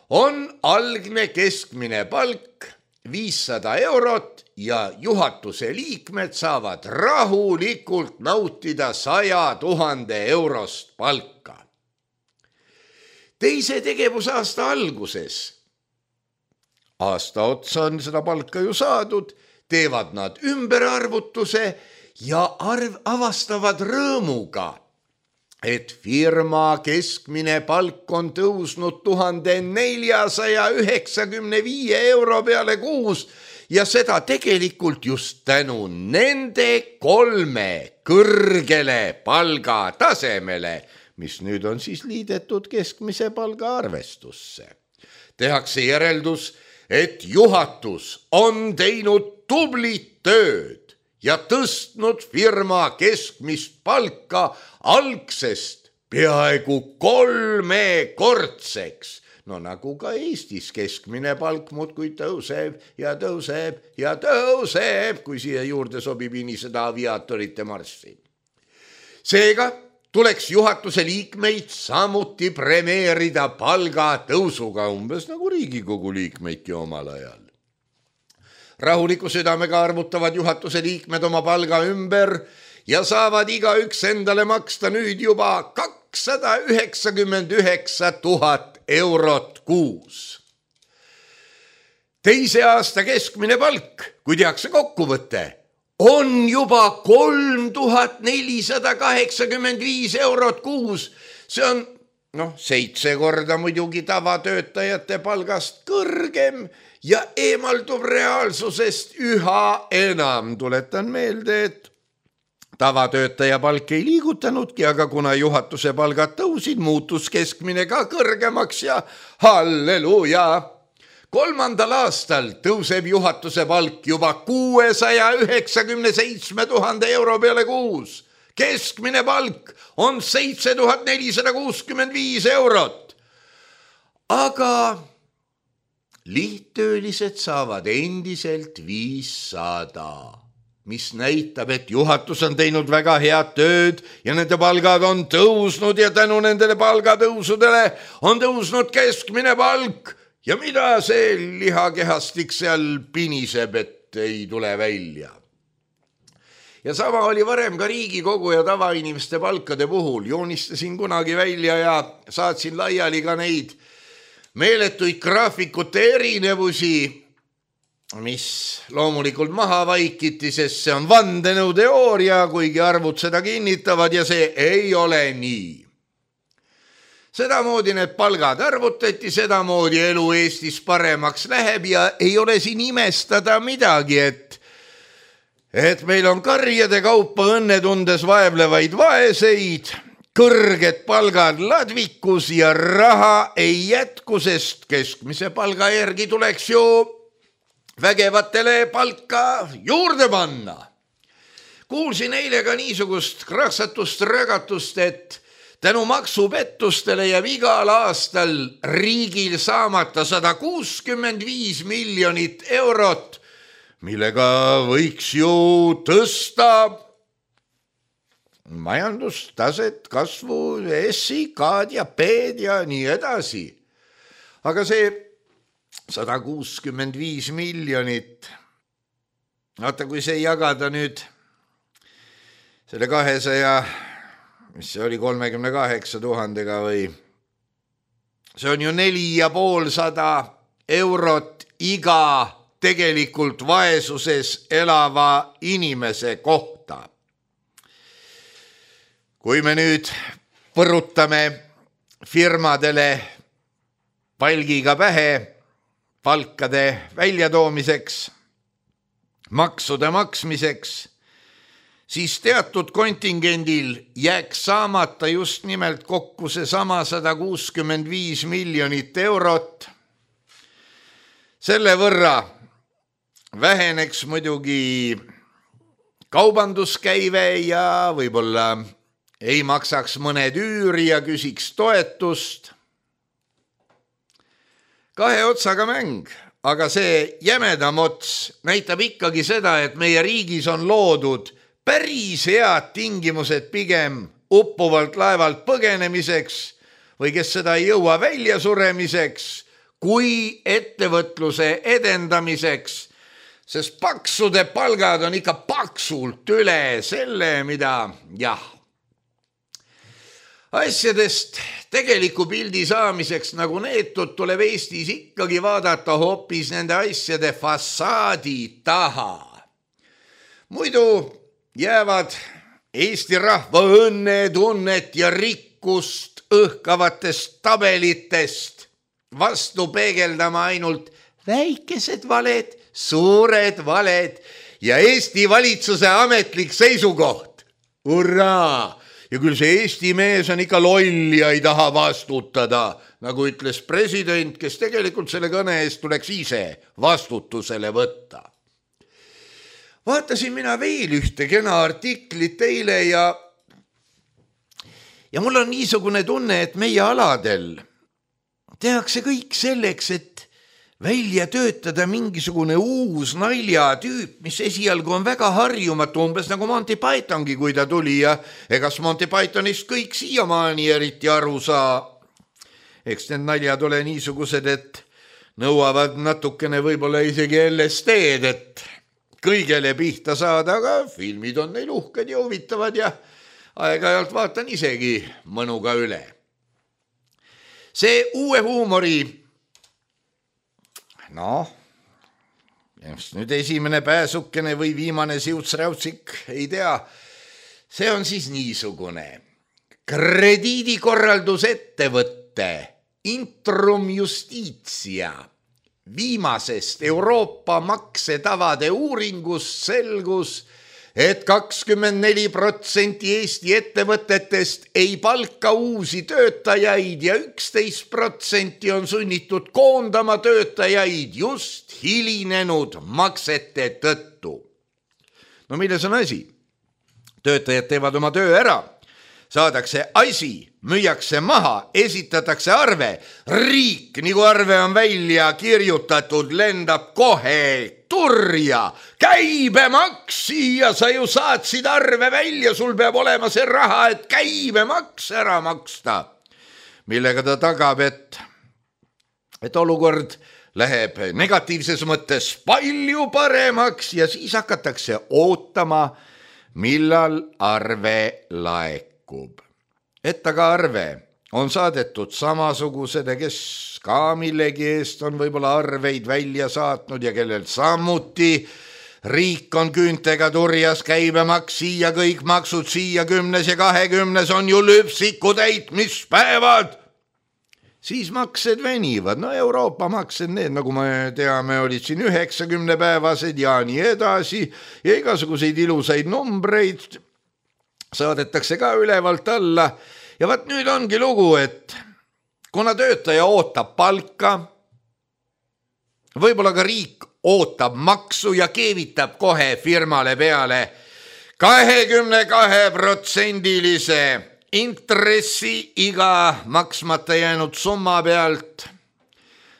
on algne keskmine palk viissada eurot ja juhatuse liikmed saavad rahulikult nautida saja tuhande eurost palka. Teise tegevusaasta alguses aasta otsa on seda palka ju saadud, teevad nad ümberarvutuse ja arv avastavad rõõmuga, et firma keskmine palk on tõusnud tuhande neljasaja üheksakümne viie euro peale kuus ja seda tegelikult just tänu nende kolme kõrgele palgatasemele, mis nüüd on siis liidetud keskmise palga arvestusse. Tehakse järeldus, et juhatus on teinud tublit tööd ja tõstnud firma keskmist palka algsest peaaegu kolmekordseks. No nagu ka Eestis keskmine palk muudkui tõuseb ja tõuseb ja tõuseb, kui siia juurde sobib iniseda aviaatorite marssi. Seega tuleks juhatuse liikmeid samuti premeerida palga tõusuga, umbes nagu Riigikogu liikmeidki omal ajal. Rahuliku südamega arvutavad juhatuse liikmed oma palga ümber ja saavad igaüks endale maksta nüüd juba kakssada üheksakümmend üheksa tuhat eurot kuus. Teise aasta keskmine palk, kui tehakse kokkuvõte, on juba kolm tuhat nelisada kaheksakümmend viis eurot kuus. See on noh, seitse korda muidugi tavatöötajate palgast kõrgem ja eemaldub reaalsusest üha enam. Tuletan meelde, et tavatöötaja palk ei liigutanudki, aga kuna juhatuse palgad tõusid, muutus keskmine ka kõrgemaks ja halleluuja! Kolmandal aastal tõuseb juhatuse palk juba kuuesaja üheksakümne seitsme tuhande euro peale kuus. Keskmine palk on seitse tuhat nelisada kuuskümmend viis eurot. Aga lihttöölised saavad endiselt viissada, mis näitab, et juhatus on teinud väga head tööd ja nende palgad on tõusnud ja tänu nendele palgatõusudele on tõusnud keskmine palk. Ja mida see lihakehastik seal piniseb, et ei tule välja? Ja sama oli varem ka Riigikogu ja tavainimeste palkade puhul. Joonistasin kunagi välja ja saatsin laiali ka neid meeletuid graafikute erinevusi, mis loomulikult maha vaikiti, sest see on vandenõuteooria, kuigi arvud seda kinnitavad ja see ei ole nii. Sedamoodi need palgad arvutati, sedamoodi elu Eestis paremaks läheb ja ei ole siin imestada midagi, et, et meil on karjade kaupa õnnetundes vaevlevaid vaeseid, kõrged palgad ladvikus ja raha ei jätku, sest keskmise palga järgi tuleks ju vägevatele palka juurde panna. Kuulsin eile ka niisugust kraksatust rögatust, et tänu maksupettustele jääb igal aastal riigil saamata sada kuuskümmend viis miljonit eurot, millega võiks ju tõsta majandustaset, kasvu, S-i, K-d ja P-d ja nii edasi. Aga see sada kuuskümmend viis miljonit, vaata kui see jagada nüüd selle kahesaja, mis see oli kolmekümne kaheksa tuhandega või, see on ju neli ja poolsada eurot iga tegelikult vaesuses elava inimese kohta. Kui me nüüd põrutame firmadele palgiga pähe palkade väljatoomiseks, maksude maksmiseks, siis teatud kontingendil jääks saamata just nimelt kokku see sama sada kuuskümmend viis miljonit eurot. Selle võrra väheneks muidugi kaubanduskäive ja võib-olla ei maksaks mõned üüri ja küsiks toetust. Kahe otsaga mäng, aga see jämedam ots näitab ikkagi seda, et meie riigis on loodud päris head tingimused pigem uppuvalt laevalt põgenemiseks või kes seda ei jõua välja suremiseks, kui ettevõtluse edendamiseks, sest paksude palgad on ikka paksult üle selle, mida jah, asjadest tegeliku pildi saamiseks nagu neetud tuleb Eestis ikkagi vaadata hoopis nende asjade fassaadi taha. Muidu jäävad Eesti rahva õnnetunnet ja rikkust õhkavatest tabelitest vastu peegeldama ainult väikesed valed, suured valed ja Eesti valitsuse ametlik seisukoht. Hurraa! Ja küll see Eesti mees on ikka loll ja ei taha vastutada, nagu ütles president, kes tegelikult selle kõne eest tuleks ise vastutusele võtta. Vaatasin mina veel ühte kena artiklit eile ja, ja mul on niisugune tunne, et meie aladel tehakse kõik selleks, et välja töötada mingisugune uus naljatüüp, mis esialgu on väga harjumatu, umbes nagu Monty Pythongi, kui ta tuli ja egas Monty Pythonist kõik siiamaani eriti aru saa. Eks need naljad ole niisugused, et nõuavad natukene võib-olla isegi L S D-d, et kõigele pihta saada, aga filmid on neil uhked ja huvitavad ja aeg-ajalt vaatan isegi mõnuga üle. See uue huumori noh, just nüüd esimene pääsukene või viimane siutsräutsik, ei tea, see on siis niisugune krediidikorraldusettevõtte Intrum Justitia viimasest Euroopa maksetavade uuringust selgus, et kakskümmend neli protsenti Eesti ettevõtetest ei palka uusi töötajaid ja üksteist protsenti on sunnitud koondama töötajaid just hilinenud maksete tõttu. No milles on asi? Töötajad teevad oma töö ära, saadakse asi, müüakse maha, esitatakse arve, riik, nagu arve on välja kirjutatud, lendab kohe turja, käibemaks siia, sa ju saatsid arve välja, sul peab olema see raha, et käibemaks ära maksta. Millega ta tagab, et, et olukord läheb negatiivses mõttes palju paremaks ja siis hakatakse ootama, millal arve laekub. Et aga arve on saadetud samasugused, kes ka millegi eest on võib-olla arveid välja saatnud ja kellel samuti riik on küüntega turjas, käibemaks siia, kõik maksud siia, kümnes ja kahekümnes on ju lüpsiku täitmispäevad. Siis maksed venivad, no Euroopa maksed, need nagu me teame, olid siin üheksakümne päevased ja nii edasi ja igasuguseid ilusaid numbreid saadetakse ka ülevalt alla ja vaat nüüd ongi lugu, et kuna töötaja ootab palka, võib-olla ka riik ootab maksu ja keevitab kohe firmale peale kahekümne kahe protsendilise intressi iga maksmata jäänud summa pealt.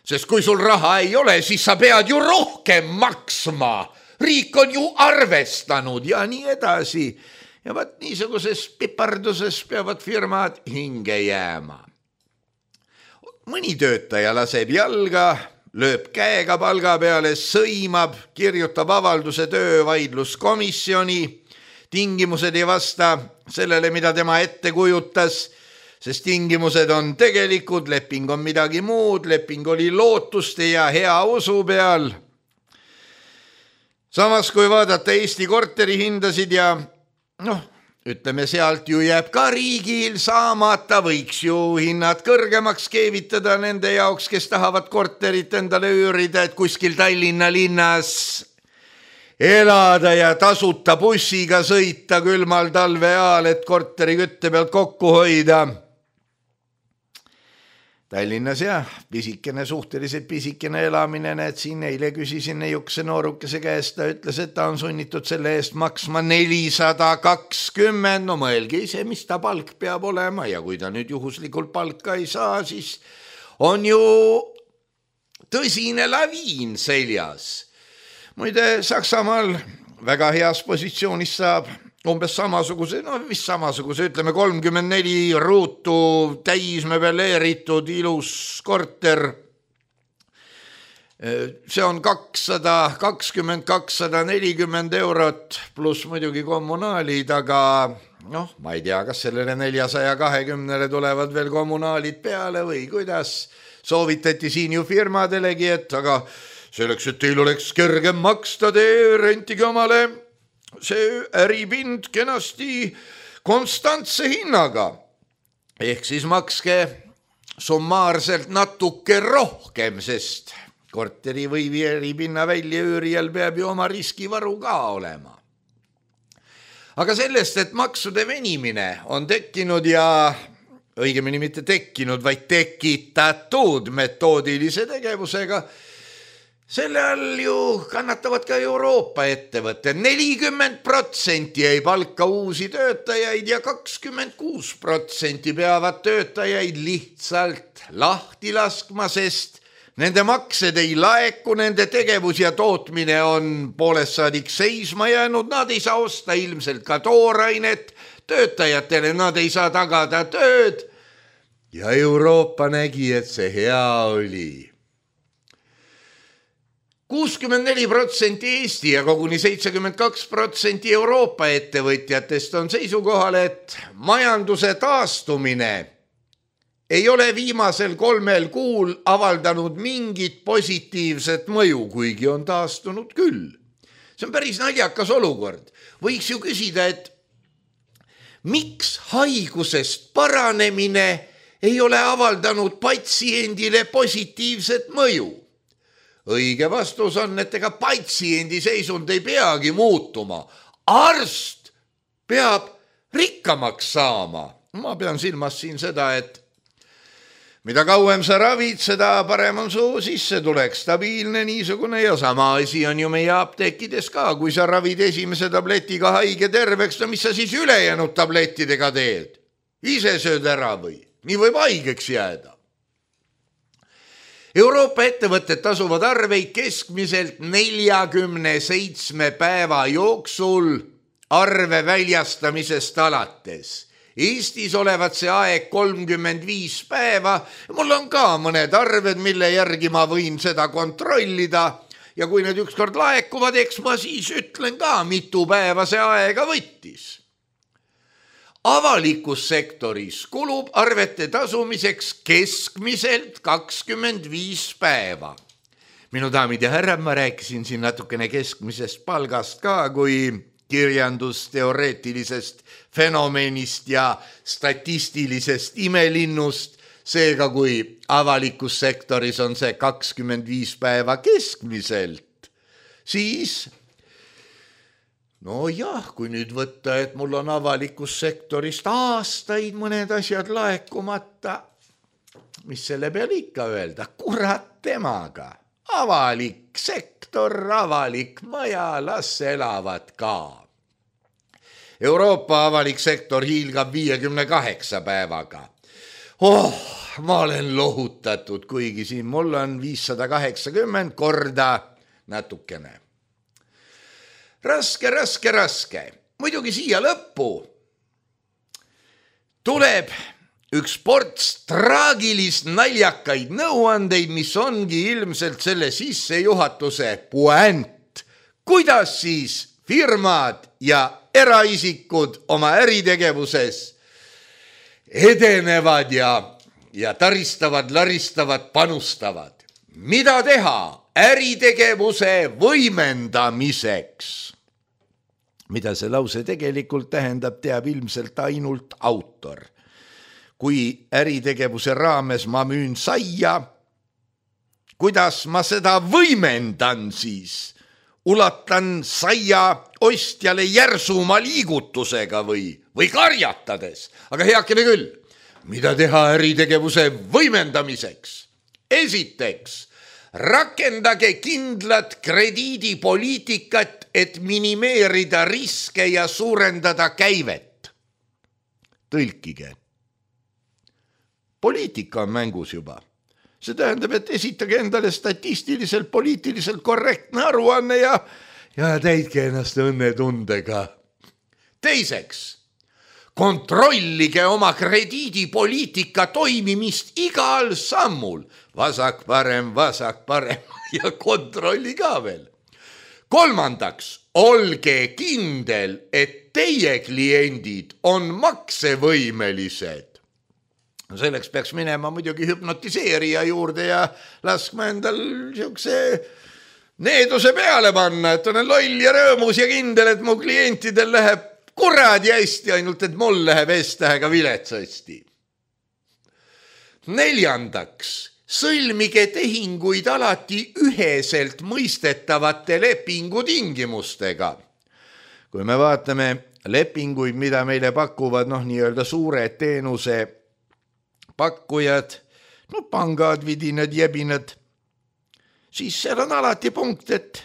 Sest kui sul raha ei ole, siis sa pead ju rohkem maksma. Riik on ju arvestanud ja nii edasi. Ja vaat niisuguses piparduses peavad firmad hinge jääma. Mõni töötaja laseb jalga, lööb käega palga peale, sõimab, kirjutab avalduse töövaidluskomisjoni, tingimused ei vasta sellele, mida tema ette kujutas, sest tingimused on tegelikud, leping on midagi muud, leping oli lootuste ja hea usu peal. Samas, kui vaadata Eesti korteri hindasid ja noh, ütleme sealt ju jääb ka riigil saamata, võiks ju hinnad kõrgemaks keevitada nende jaoks, kes tahavad korterit endale üürida, et kuskil Tallinna linnas elada ja tasuta bussiga sõita külmal talve ajal, et korteri kütte pealt kokku hoida. Tallinnas jah, pisikene, suhteliselt pisikene elamine, need siin eile küsisin neiukese noorukese käest, ta ütles, et ta on sunnitud selle eest maksma nelisada kakskümmend, no mõelge ise, mis ta palk peab olema ja kui ta nüüd juhuslikult palka ei saa, siis on ju tõsine laviin seljas. Muide, Saksamaal väga heas positsioonis saab umbes samasuguse, no vist samasuguse, ütleme kolmkümmend neli ruutu täismöbeleeritud ilus korter. See on kakssada kakskümmend, kakssada nelikümmend eurot pluss muidugi kommunaalid, aga noh, ma ei tea, kas sellele neljasaja kahekümnele tulevad veel kommunaalid peale või kuidas. Soovitati siin ju firmadelegi, et aga selleks, et teil oleks kergem maksta, te rentige omale see äripind kenasti konstantse hinnaga. Ehk siis makske summaarselt natuke rohkem, sest korteri või äripinna väljaüürijal peab ju oma riskivaru ka olema. Aga sellest, et maksude venimine on tekkinud ja õigemini mitte tekkinud, vaid tekitatud metoodilise tegevusega, selle all ju kannatavad ka Euroopa ettevõtted. nelikümmend protsenti ei palka uusi töötajaid ja kakskümmend kuus protsenti peavad töötajaid lihtsalt lahti laskma, sest nende maksed ei laeku, nende tegevus ja tootmine on poolest saadik seisma jäänud, nad ei saa osta ilmselt ka toorainet, töötajatele nad ei saa tagada tööd ja Euroopa nägi, et see hea oli. kuuskümmend neli protsenti Eesti ja koguni seitsekümmend kaks protsenti Euroopa ettevõtjatest on seisukohal, et majanduse taastumine ei ole viimasel kolmel kuul avaldanud mingit positiivset mõju, kuigi on taastunud küll. See on päris naljakas olukord. Võiks ju küsida, et miks haigusest paranemine ei ole avaldanud patsiendile positiivset mõju? Õige vastus on, et ega patsiendi seisund ei peagi muutuma. Arst peab rikkamaks saama. Ma pean silmas siin seda, et mida kauem sa ravid, seda parem on su sissetulek, stabiilne niisugune ja sama asi on ju meie apteekides ka. Kui sa ravid esimese tabletiga haige terveks, no mis sa siis ülejäänud tablettidega teed? Ise sööd ära või? Nii võib haigeks jääda. Euroopa ettevõtted tasuvad arveid keskmiselt neljakümne seitsme päeva jooksul arve väljastamisest alates. Eestis olevat see aeg kolmkümmend viis päeva. Mul on ka mõned arved, mille järgi ma võin seda kontrollida ja kui need ükskord laekuvad, eks ma siis ütlen ka, mitu päeva see aega võttis. Avalikus sektoris kulub arvete tasumiseks keskmiselt kakskümmend viis päeva. Minu daamid ja härrad, ma rääkisin siin natukene keskmisest palgast ka kui kirjandusteoreetilisest fenomenist ja statistilisest imelinnust. Seega kui avalikus sektoris on see kakskümmend viis päeva keskmiselt, siis no jah, kui nüüd võtta, et mul on avalikus sektorist aastaid mõned asjad laekumata, mis selle peale ikka öelda, kurat temaga, avalik sektor, avalik maja, las elavad ka. Euroopa avalik sektor hiilgab viiekümne kaheksa päevaga. Oh, ma olen lohutatud, kuigi siin mul on viissada kaheksakümmend korda natukene. Raske, raske, raske. Muidugi siia lõppu tuleb üks ports traagilist naljakaid nõuandeid, mis ongi ilmselt selle sissejuhatuse puänt. Kuidas siis firmad ja eraisikud oma äritegevuses edenevad ja, ja taristavad, laristavad, panustavad. Mida teha äritegevuse võimendamiseks? Mida see lause tegelikult tähendab, teab ilmselt ainult autor. Kui äritegevuse raames ma müün saia, kuidas ma seda võimendan siis? Ulatan saia ostjale järsuma liigutusega või, või karjatades. Aga heakene küll, mida teha äritegevuse võimendamiseks? Esiteks, rakendage kindlat krediidipoliitikat, et minimeerida riske ja suurendada käivet. Tõlkige. Poliitika on mängus juba. See tähendab, et esitage endale statistiliselt, poliitiliselt korrektne aruanne ja, ja täitke ennast õnnetundega. Teiseks, kontrollige oma krediidipoliitika toimimist igal sammul. Vasak, parem, vasak, parem ja kontrolli ka veel. Kolmandaks, olge kindel, et teie kliendid on maksevõimelised. Selleks peaks minema muidugi hüpnotiseerija juurde ja laskma endal siukse needuse peale panna, et olen loll ja rõõmus ja kindel, et mu klientidel läheb kuradi hästi, ainult et mul läheb S-tähega viletsasti. Neljandaks, sõlmige tehinguid alati üheselt mõistetavate lepingutingimustega. Kui me vaatame lepinguid, mida meile pakuvad noh, nii-öelda suured teenuse pakkujad, no pangad, vidinad, jebinad, siis seal on alati punkt, et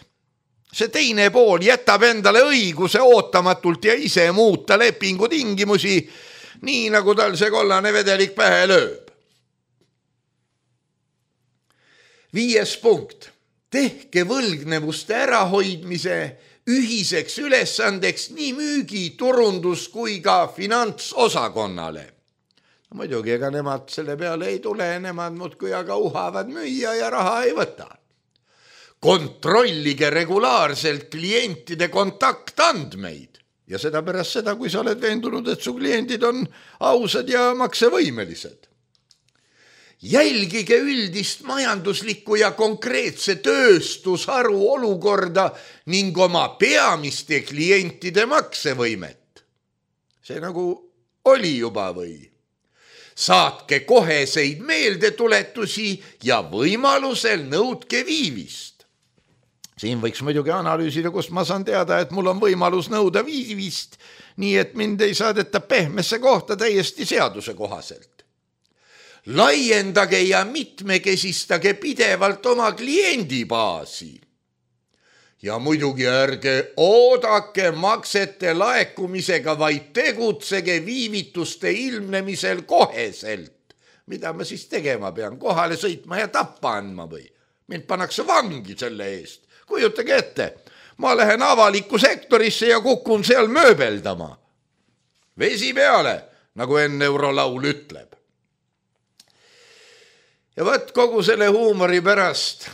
see teine pool jätab endale õiguse ootamatult ja ise muuta lepingu tingimusi, nii nagu tal see kollane vedelik pähe lööb. Viies punkt. Tehke võlgnevuste ärahoidmise ühiseks ülesandeks nii müügi, turundus kui ka finantsosakonnale. No, muidugi, ega nemad selle peale ei tule, nemad muudkui aga uhavad müüa ja raha ei võta. Kontrollige regulaarselt klientide kontaktandmeid ja seda pärast seda, kui sa oled veendunud, et su kliendid on ausad ja maksevõimelised. Jälgige üldist majanduslikku ja konkreetse tööstusharu olukorda ning oma peamiste klientide maksevõimet. See nagu oli juba või? Saatke koheseid meeldetuletusi ja võimalusel nõudke viivist. Siin võiks muidugi analüüsida, kust ma saan teada, et mul on võimalus nõuda viivist, nii et mind ei saadeta pehmesse kohta täiesti seaduse kohaselt. Laiendage ja mitmekesistage pidevalt oma kliendibaasi. Ja muidugi ärge oodake maksete laekumisega, vaid tegutsege viivituste ilmnemisel koheselt. Mida ma siis tegema pean? Kohale sõitma ja tappa andma või? Mind pannakse vangi selle eest. Kujutage ette, ma lähen avalikku sektorisse ja kukun seal mööbeldama. Vesi peale, nagu enne eurolaul ütleb. Ja võt kogu selle huumori pärast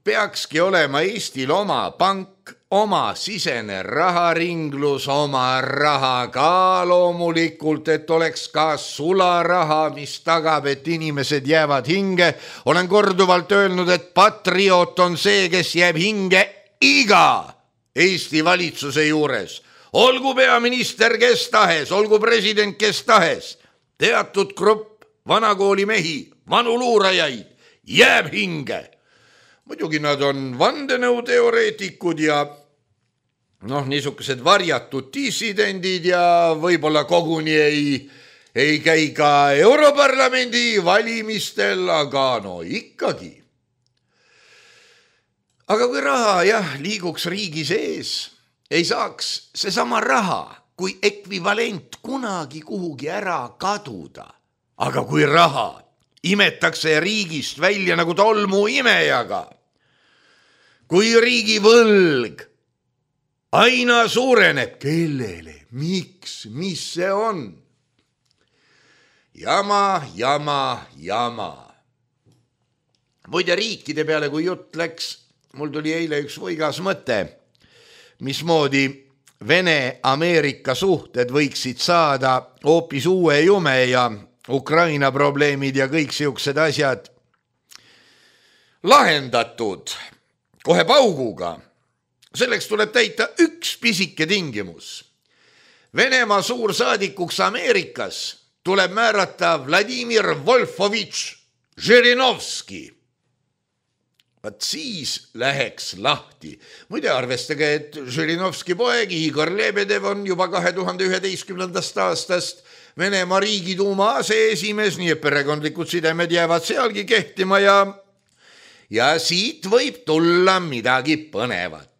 peakski olema Eestil oma pank, oma sisene raharinglus, oma raha ka loomulikult, et oleks ka sularaha, mis tagab, et inimesed jäävad hinge. Olen korduvalt öelnud, et patriot on see, kes jääb hinge iga Eesti valitsuse juures. Olgu peaminister kes tahes, olgu president kes tahes, teatud grupp vanakooli mehi, vanu luurajaid, jääb hinge. Muidugi nad on vandenõuteoreetikud ja noh, niisugused varjatud dissidendid ja võib-olla koguni ei, ei käi ka Europarlamendi valimistel, aga no ikkagi. Aga kui raha jah, liiguks riigi sees, ei saaks seesama raha kui ekvivalent kunagi kuhugi ära kaduda. Aga kui raha imetakse riigist välja nagu tolmu imejaga, kui riigi võlg aina suureneb, kellele, miks, mis see on? Jama, jama, jama. Muide riikide peale, kui jutt läks, mul tuli eile üks võigas mõte, mismoodi Vene-Ameerika suhted võiksid saada hoopis uue jume ja Ukraina probleemid ja kõik siuksed asjad lahendatud kohe pauguga. Selleks tuleb täita üks pisike tingimus. Venemaa suursaadikuks Ameerikas tuleb määrata Vladimir Wolfovitš Žirinovski. Vaat siis läheks lahti. Muide arvestage, et Žirinovski poeg Igor Lebedev on juba kahe tuhande üheteistkümnendast aastast Venemaa riigiduuma aseesimees, nii et perekondlikud sidemed jäävad sealgi kehtima ja ja siit võib tulla midagi põnevat.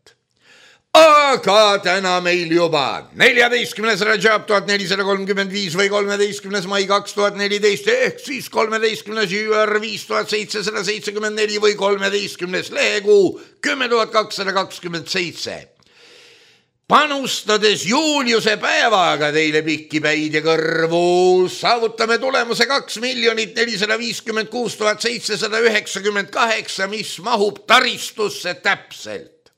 Aga täna meil juba neljateistkümnes Rajab tuhat nelisada kolmkümmend viis või kolmeteistkümnes mai kaks tuhat neliteist ehk siis kolmeteistkümnes juuar viis tuhat seitsesada seitsekümmend neli või kolmeteistkümnes lehekuu kümme tuhat kakssada kakskümmend seitse. Panustades Juliuse päevaga teile pikki päid ja kõrvu saavutame tulemuse kaks miljonit nelisada viiskümmend kuus tuhat seitsesada üheksakümmend kaheksa, mis mahub taristusse täpselt.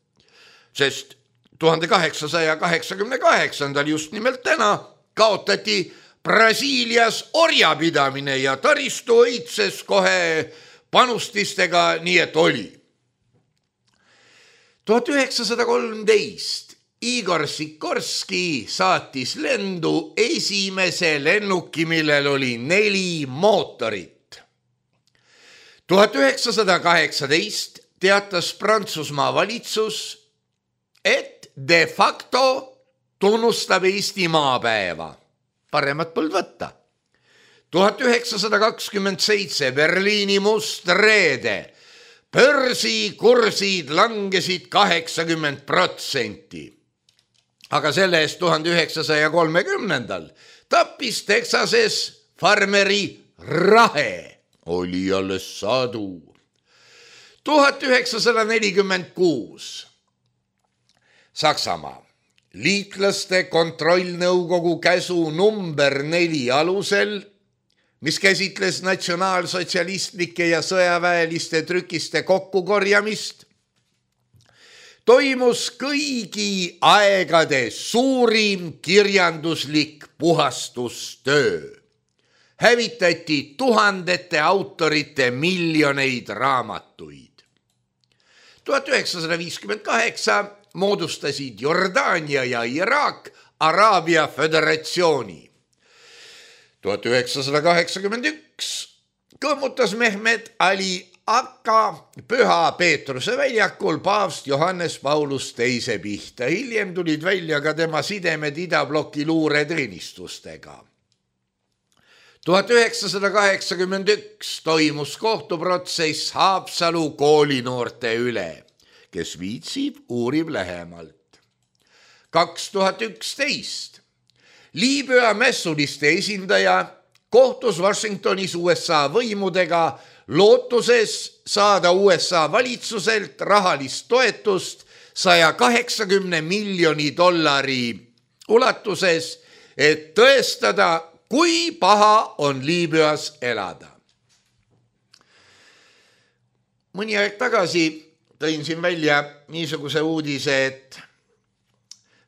Sest tuhande kaheksasaja kaheksakümne kaheksandal just nimelt täna kaotati Brasiilias orjapidamine ja taristu õitses kohe panustistega, nii et oli. tuhat üheksasada kolmteist Igor Sikorski saatis lendu esimese lennuki, millel oli neli mootorit. tuhat üheksasada kaheksateist teatas Prantsusmaa valitsus, et de facto tunnustab Eesti maapäeva. Paremat polnud võtta. tuhat üheksasada kakskümmend seitse Berliini must reede. Börsikursid langesid kaheksakümmend protsenti. Aga selle eest tuhande üheksasaja kolmekümnendal tappis Texases farmeri rahe. Oli alles sadu. tuhat üheksasada nelikümmend kuus Saksamaa liitlaste kontrollnõukogu käsu number neli alusel, mis käsitles natsionaalsotsialistlike ja sõjaväeliste trükiste kokkukorjamist, toimus kõigi aegade suurim kirjanduslik puhastustöö. Hävitati tuhandete autorite miljoneid raamatuid. tuhat üheksasada viiskümmend kaheksa moodustasid Jordaania ja Iraak Araabia föderatsiooni. tuhat üheksasada kaheksakümmend üks kõmmutas Mehmet Ali Akka Püha Peetruse väljakul paavst Johannes Paulus teise pihta. Hiljem tulid välja ka tema sidemed idabloki luureteenistustega. tuhat üheksasada kaheksakümmend üks toimus kohtuprotsess Haapsalu koolinoorte üle, kes viitsib, uurib lähemalt. kaks tuhat üksteist Liibüa mässuliste esindaja kohtus Washingtonis U S A võimudega lootuses saada U S A valitsuselt rahalist toetust saja kaheksakümne miljoni dollari ulatuses, et tõestada, kui paha on Liibüas elada. Mõni aeg tagasi tõin siin välja niisuguse uudise, et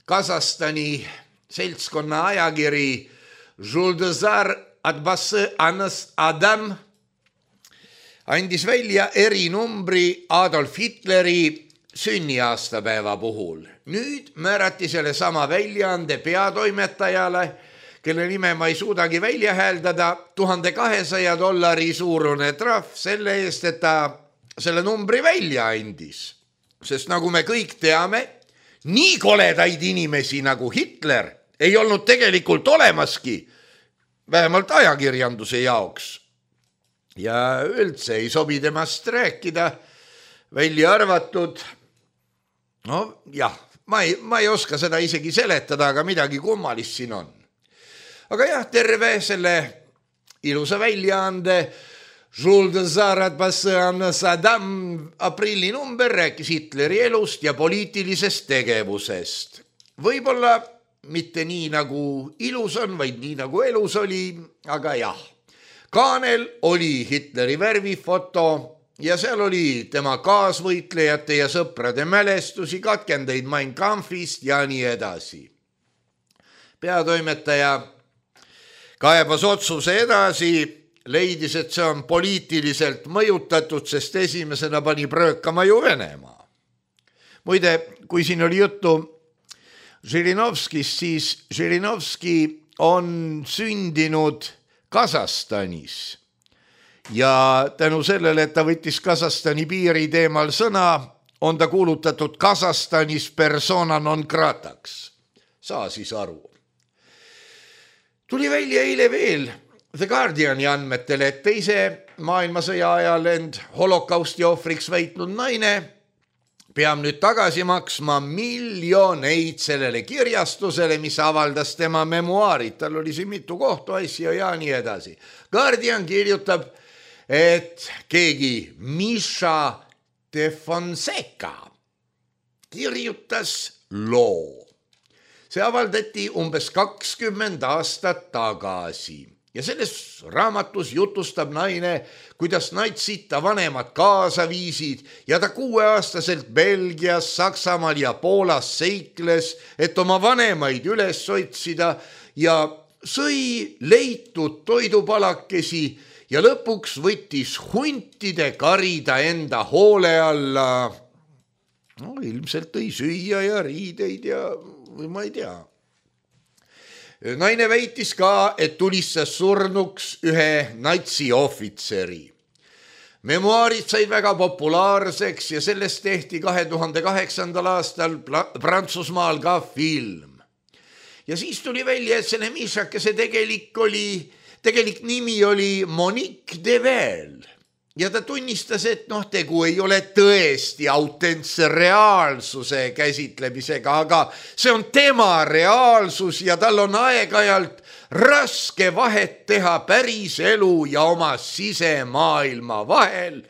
Kasahstani seltskonna ajakiri Juldazar Adbase Anas Adam andis välja erinumbri Adolf Hitleri sünniaastapäeva puhul. Nüüd määrati selle sama väljaande peatoimetajale, kelle nime ma ei suudagi välja hääldada, tuhande kahesaja dollari suurune trahv selle eest, et ta selle numbri välja andis. Sest nagu me kõik teame, nii koledaid inimesi nagu Hitler ei olnud tegelikult olemaski, vähemalt ajakirjanduse jaoks. Ja üldse ei sobi temast rääkida, välja arvatud, no jah, ma ei, ma ei oska seda isegi seletada, aga midagi kummalist siin on. Aga jah, terve selle ilusa väljaande Sadam aprilli number rääkis Hitleri elust ja poliitilisest tegevusest. Võib-olla mitte nii nagu ilus on, vaid nii nagu elus oli, aga jah. Kaanel oli Hitleri värvifoto ja seal oli tema kaasvõitlejate ja sõprade mälestusi, katkendeid Mein Kampfist ja nii edasi. Peatoimetaja kaebas otsuse edasi, leidis, et see on poliitiliselt mõjutatud, sest esimesena pani pröökama ju Venemaa. Muide, kui siin oli juttu Žirinovskist, siis Žirinovski on sündinud Kasahstanis ja tänu sellele, et ta võttis Kasahstani piiri teemal sõna, on ta kuulutatud Kasahstanis persona non grataks. Saa siis aru. Tuli välja eile veel The Guardiani andmetele, et teise maailmasõja ajal end holokausti ohvriks väitnud naine peab nüüd tagasi maksma miljoneid sellele kirjastusele, mis avaldas tema memuaarid. Tal oli siin mitu kohtuasja ja nii edasi. Guardian kirjutab, et keegi Misha de Fonseca kirjutas loo. See avaldati umbes kakskümmend aastat tagasi. Ja selles raamatus jutustab naine, kuidas natsid ta vanemad kaasa viisid ja ta kuueaastaselt Belgias, Saksamaal ja Poolas seikles, et oma vanemaid üles otsida ja sõi leitud toidupalakesi ja lõpuks võttis huntide karida enda hoole alla. No, ilmselt tõi süüa ja riideid ja või ma ei tea. Naine väitis ka, et tulistas surnuks ühe natsiohvitseri. Memuaarid said väga populaarseks ja sellest tehti kahe tuhande kaheksandal aastal Prantsusmaal ka film. Ja siis tuli välja, et selle Mišakese tegelik, oli, tegelik nimi oli Monique Devel. Ja ta tunnistas, et noh, tegu ei ole tõesti autentse reaalsuse käsitlemisega, aga see on tema reaalsus ja tal on aeg-ajalt raske vahet teha päris elu ja oma sisemaailma vahel.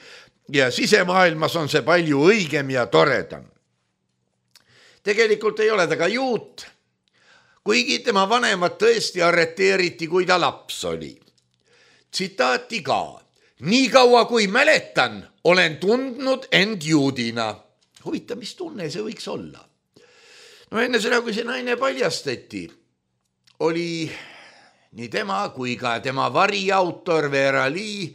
Ja sisemaailmas on see palju õigem ja toredam. Tegelikult ei ole ta ka juut, kuigi tema vanemad tõesti arreteeriti, kui ta laps oli. Tsitaati ka. Nii kaua kui mäletan, olen tundnud end juudina. Huvita, mis tunne see võiks olla? No enne seda, kui see naine paljastati, oli nii tema kui ka tema variautor Vera Lee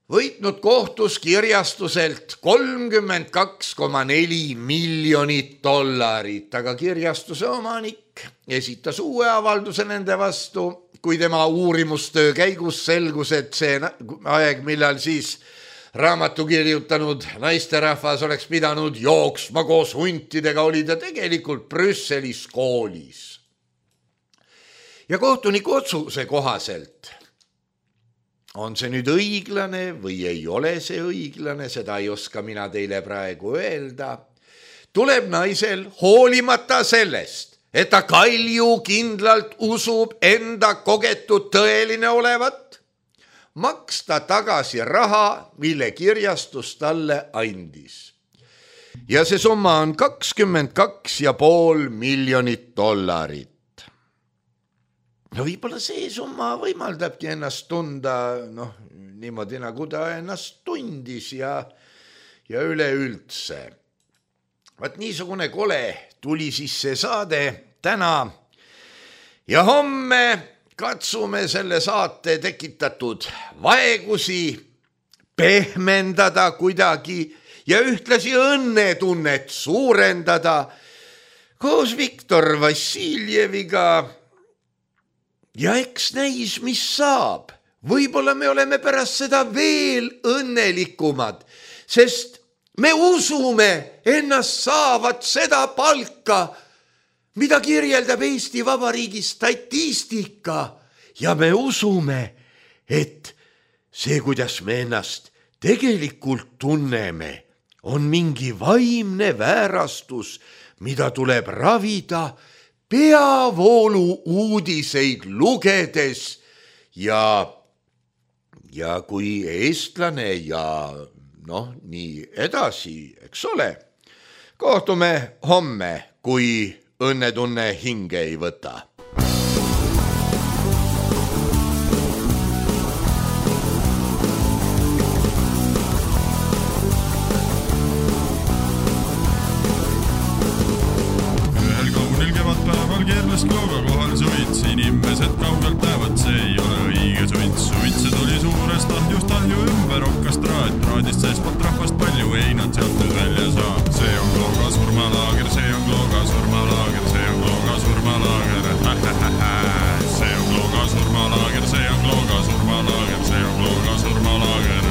võitnud kohtus kirjastuselt kolmkümmend kaks koma neli miljonit dollarit, aga kirjastuse omanik esitas uue avalduse nende vastu, kui tema uurimustöö käigus selgus, et see aeg, millal siis raamatu kirjutanud naisterahvas oleks pidanud jooksma koos huntidega, oli ta tegelikult Brüsselis koolis. Ja kohtuniku otsuse kohaselt on see nüüd õiglane või ei ole see õiglane, seda ei oska mina teile praegu öelda. Tuleb naisel hoolimata sellest, et ta kalju kindlalt usub enda kogetud tõeline olevat, maksta tagasi raha, mille kirjastus talle andis. Ja see summa on kakskümmend kaks ja pool miljonit dollarit. No võib-olla see summa võimaldabki ennast tunda noh, niimoodi nagu ta ennast tundis ja, ja üleüldse. Vaat niisugune kole tuli siis see saade täna ja homme katsume selle saate tekitatud vaegusi pehmendada kuidagi ja ühtlasi õnnetunnet suurendada koos Viktor Vassiljeviga. Ja eks näis, mis saab. Võib-olla me oleme pärast seda veel õnnelikumad, sest me usume ennast saavat seda palka, mida kirjeldab Eesti Vabariigi statistika ja me usume, et see, kuidas me ennast tegelikult tunneme, on mingi vaimne väärastus, mida tuleb ravida peavoolu uudiseid lugedes ja, ja kui eestlane ja noh, nii edasi, eks ole. Kohtume homme, kui õnnetunne hinge ei võta. Ühel kaunil kevadpäeval keerles klooga kohal suits, inimesed kaugelt näevad, see ei ole õige suits. Suitse tuli suurest ahjust ahju ümber okkas traat, traadist seespoolt rahvast palju, ei nad sealt nüüd välja saa. See on Klooga surmalaager, see on Klooga surmalaager, see on Klooga surmalaager, see on Klooga surmalaager, see on Klooga surmalaager, see on Klooga surmalaager.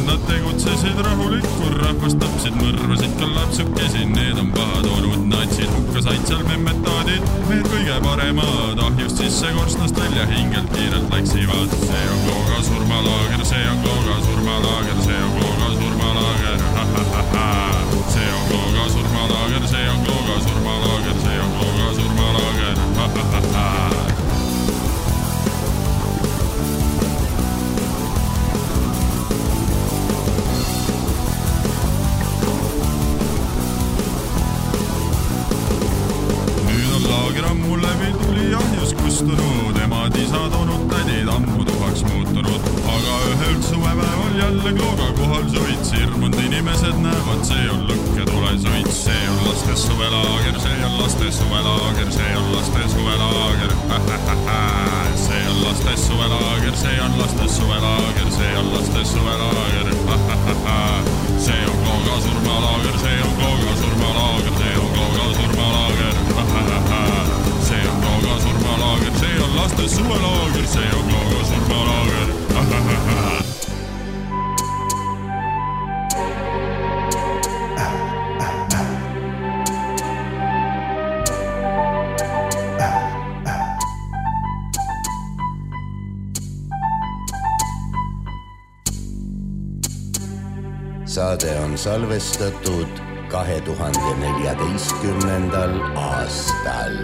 Nad tegutsesid rahulikul, rahvast tapsid, mõrvasid ka lapsukesi, need on pahad olnud natsid, hukka said seal memmetaadid, need kõige paremad, ahjust sisse korstnast välja hingelt kiirelt läksivad. See on Klooga surmalaager, see on Klooga surmalaager, see on Klooga surmalaager, see on Klooga surmalaager, see on Klooga surmalaager, see on Klooga surmalaager. Ammu läbi tuli ahjus kustunud, emad isad onud tädid ammu tuhaks muutunud, aga ühel suvepäeval jälle Klooga kohal suits, hirmunud inimesed näevad, see on lõkketule suits, see on laste suvelaager, see on laste suvelaager, see on laste suvelaager, see on laste suvelaager, see on laste suvelaager, see on laste suvelaager, see on Klooga surmalaager, see on Klooga surmalaager, see on Klooga surmalaager, see on Klooga surmalaager, see on laste suvelaager, see on Klooga surmalaager. Saade on salvestatud kahe tuhande neljateistkümnendal aastal.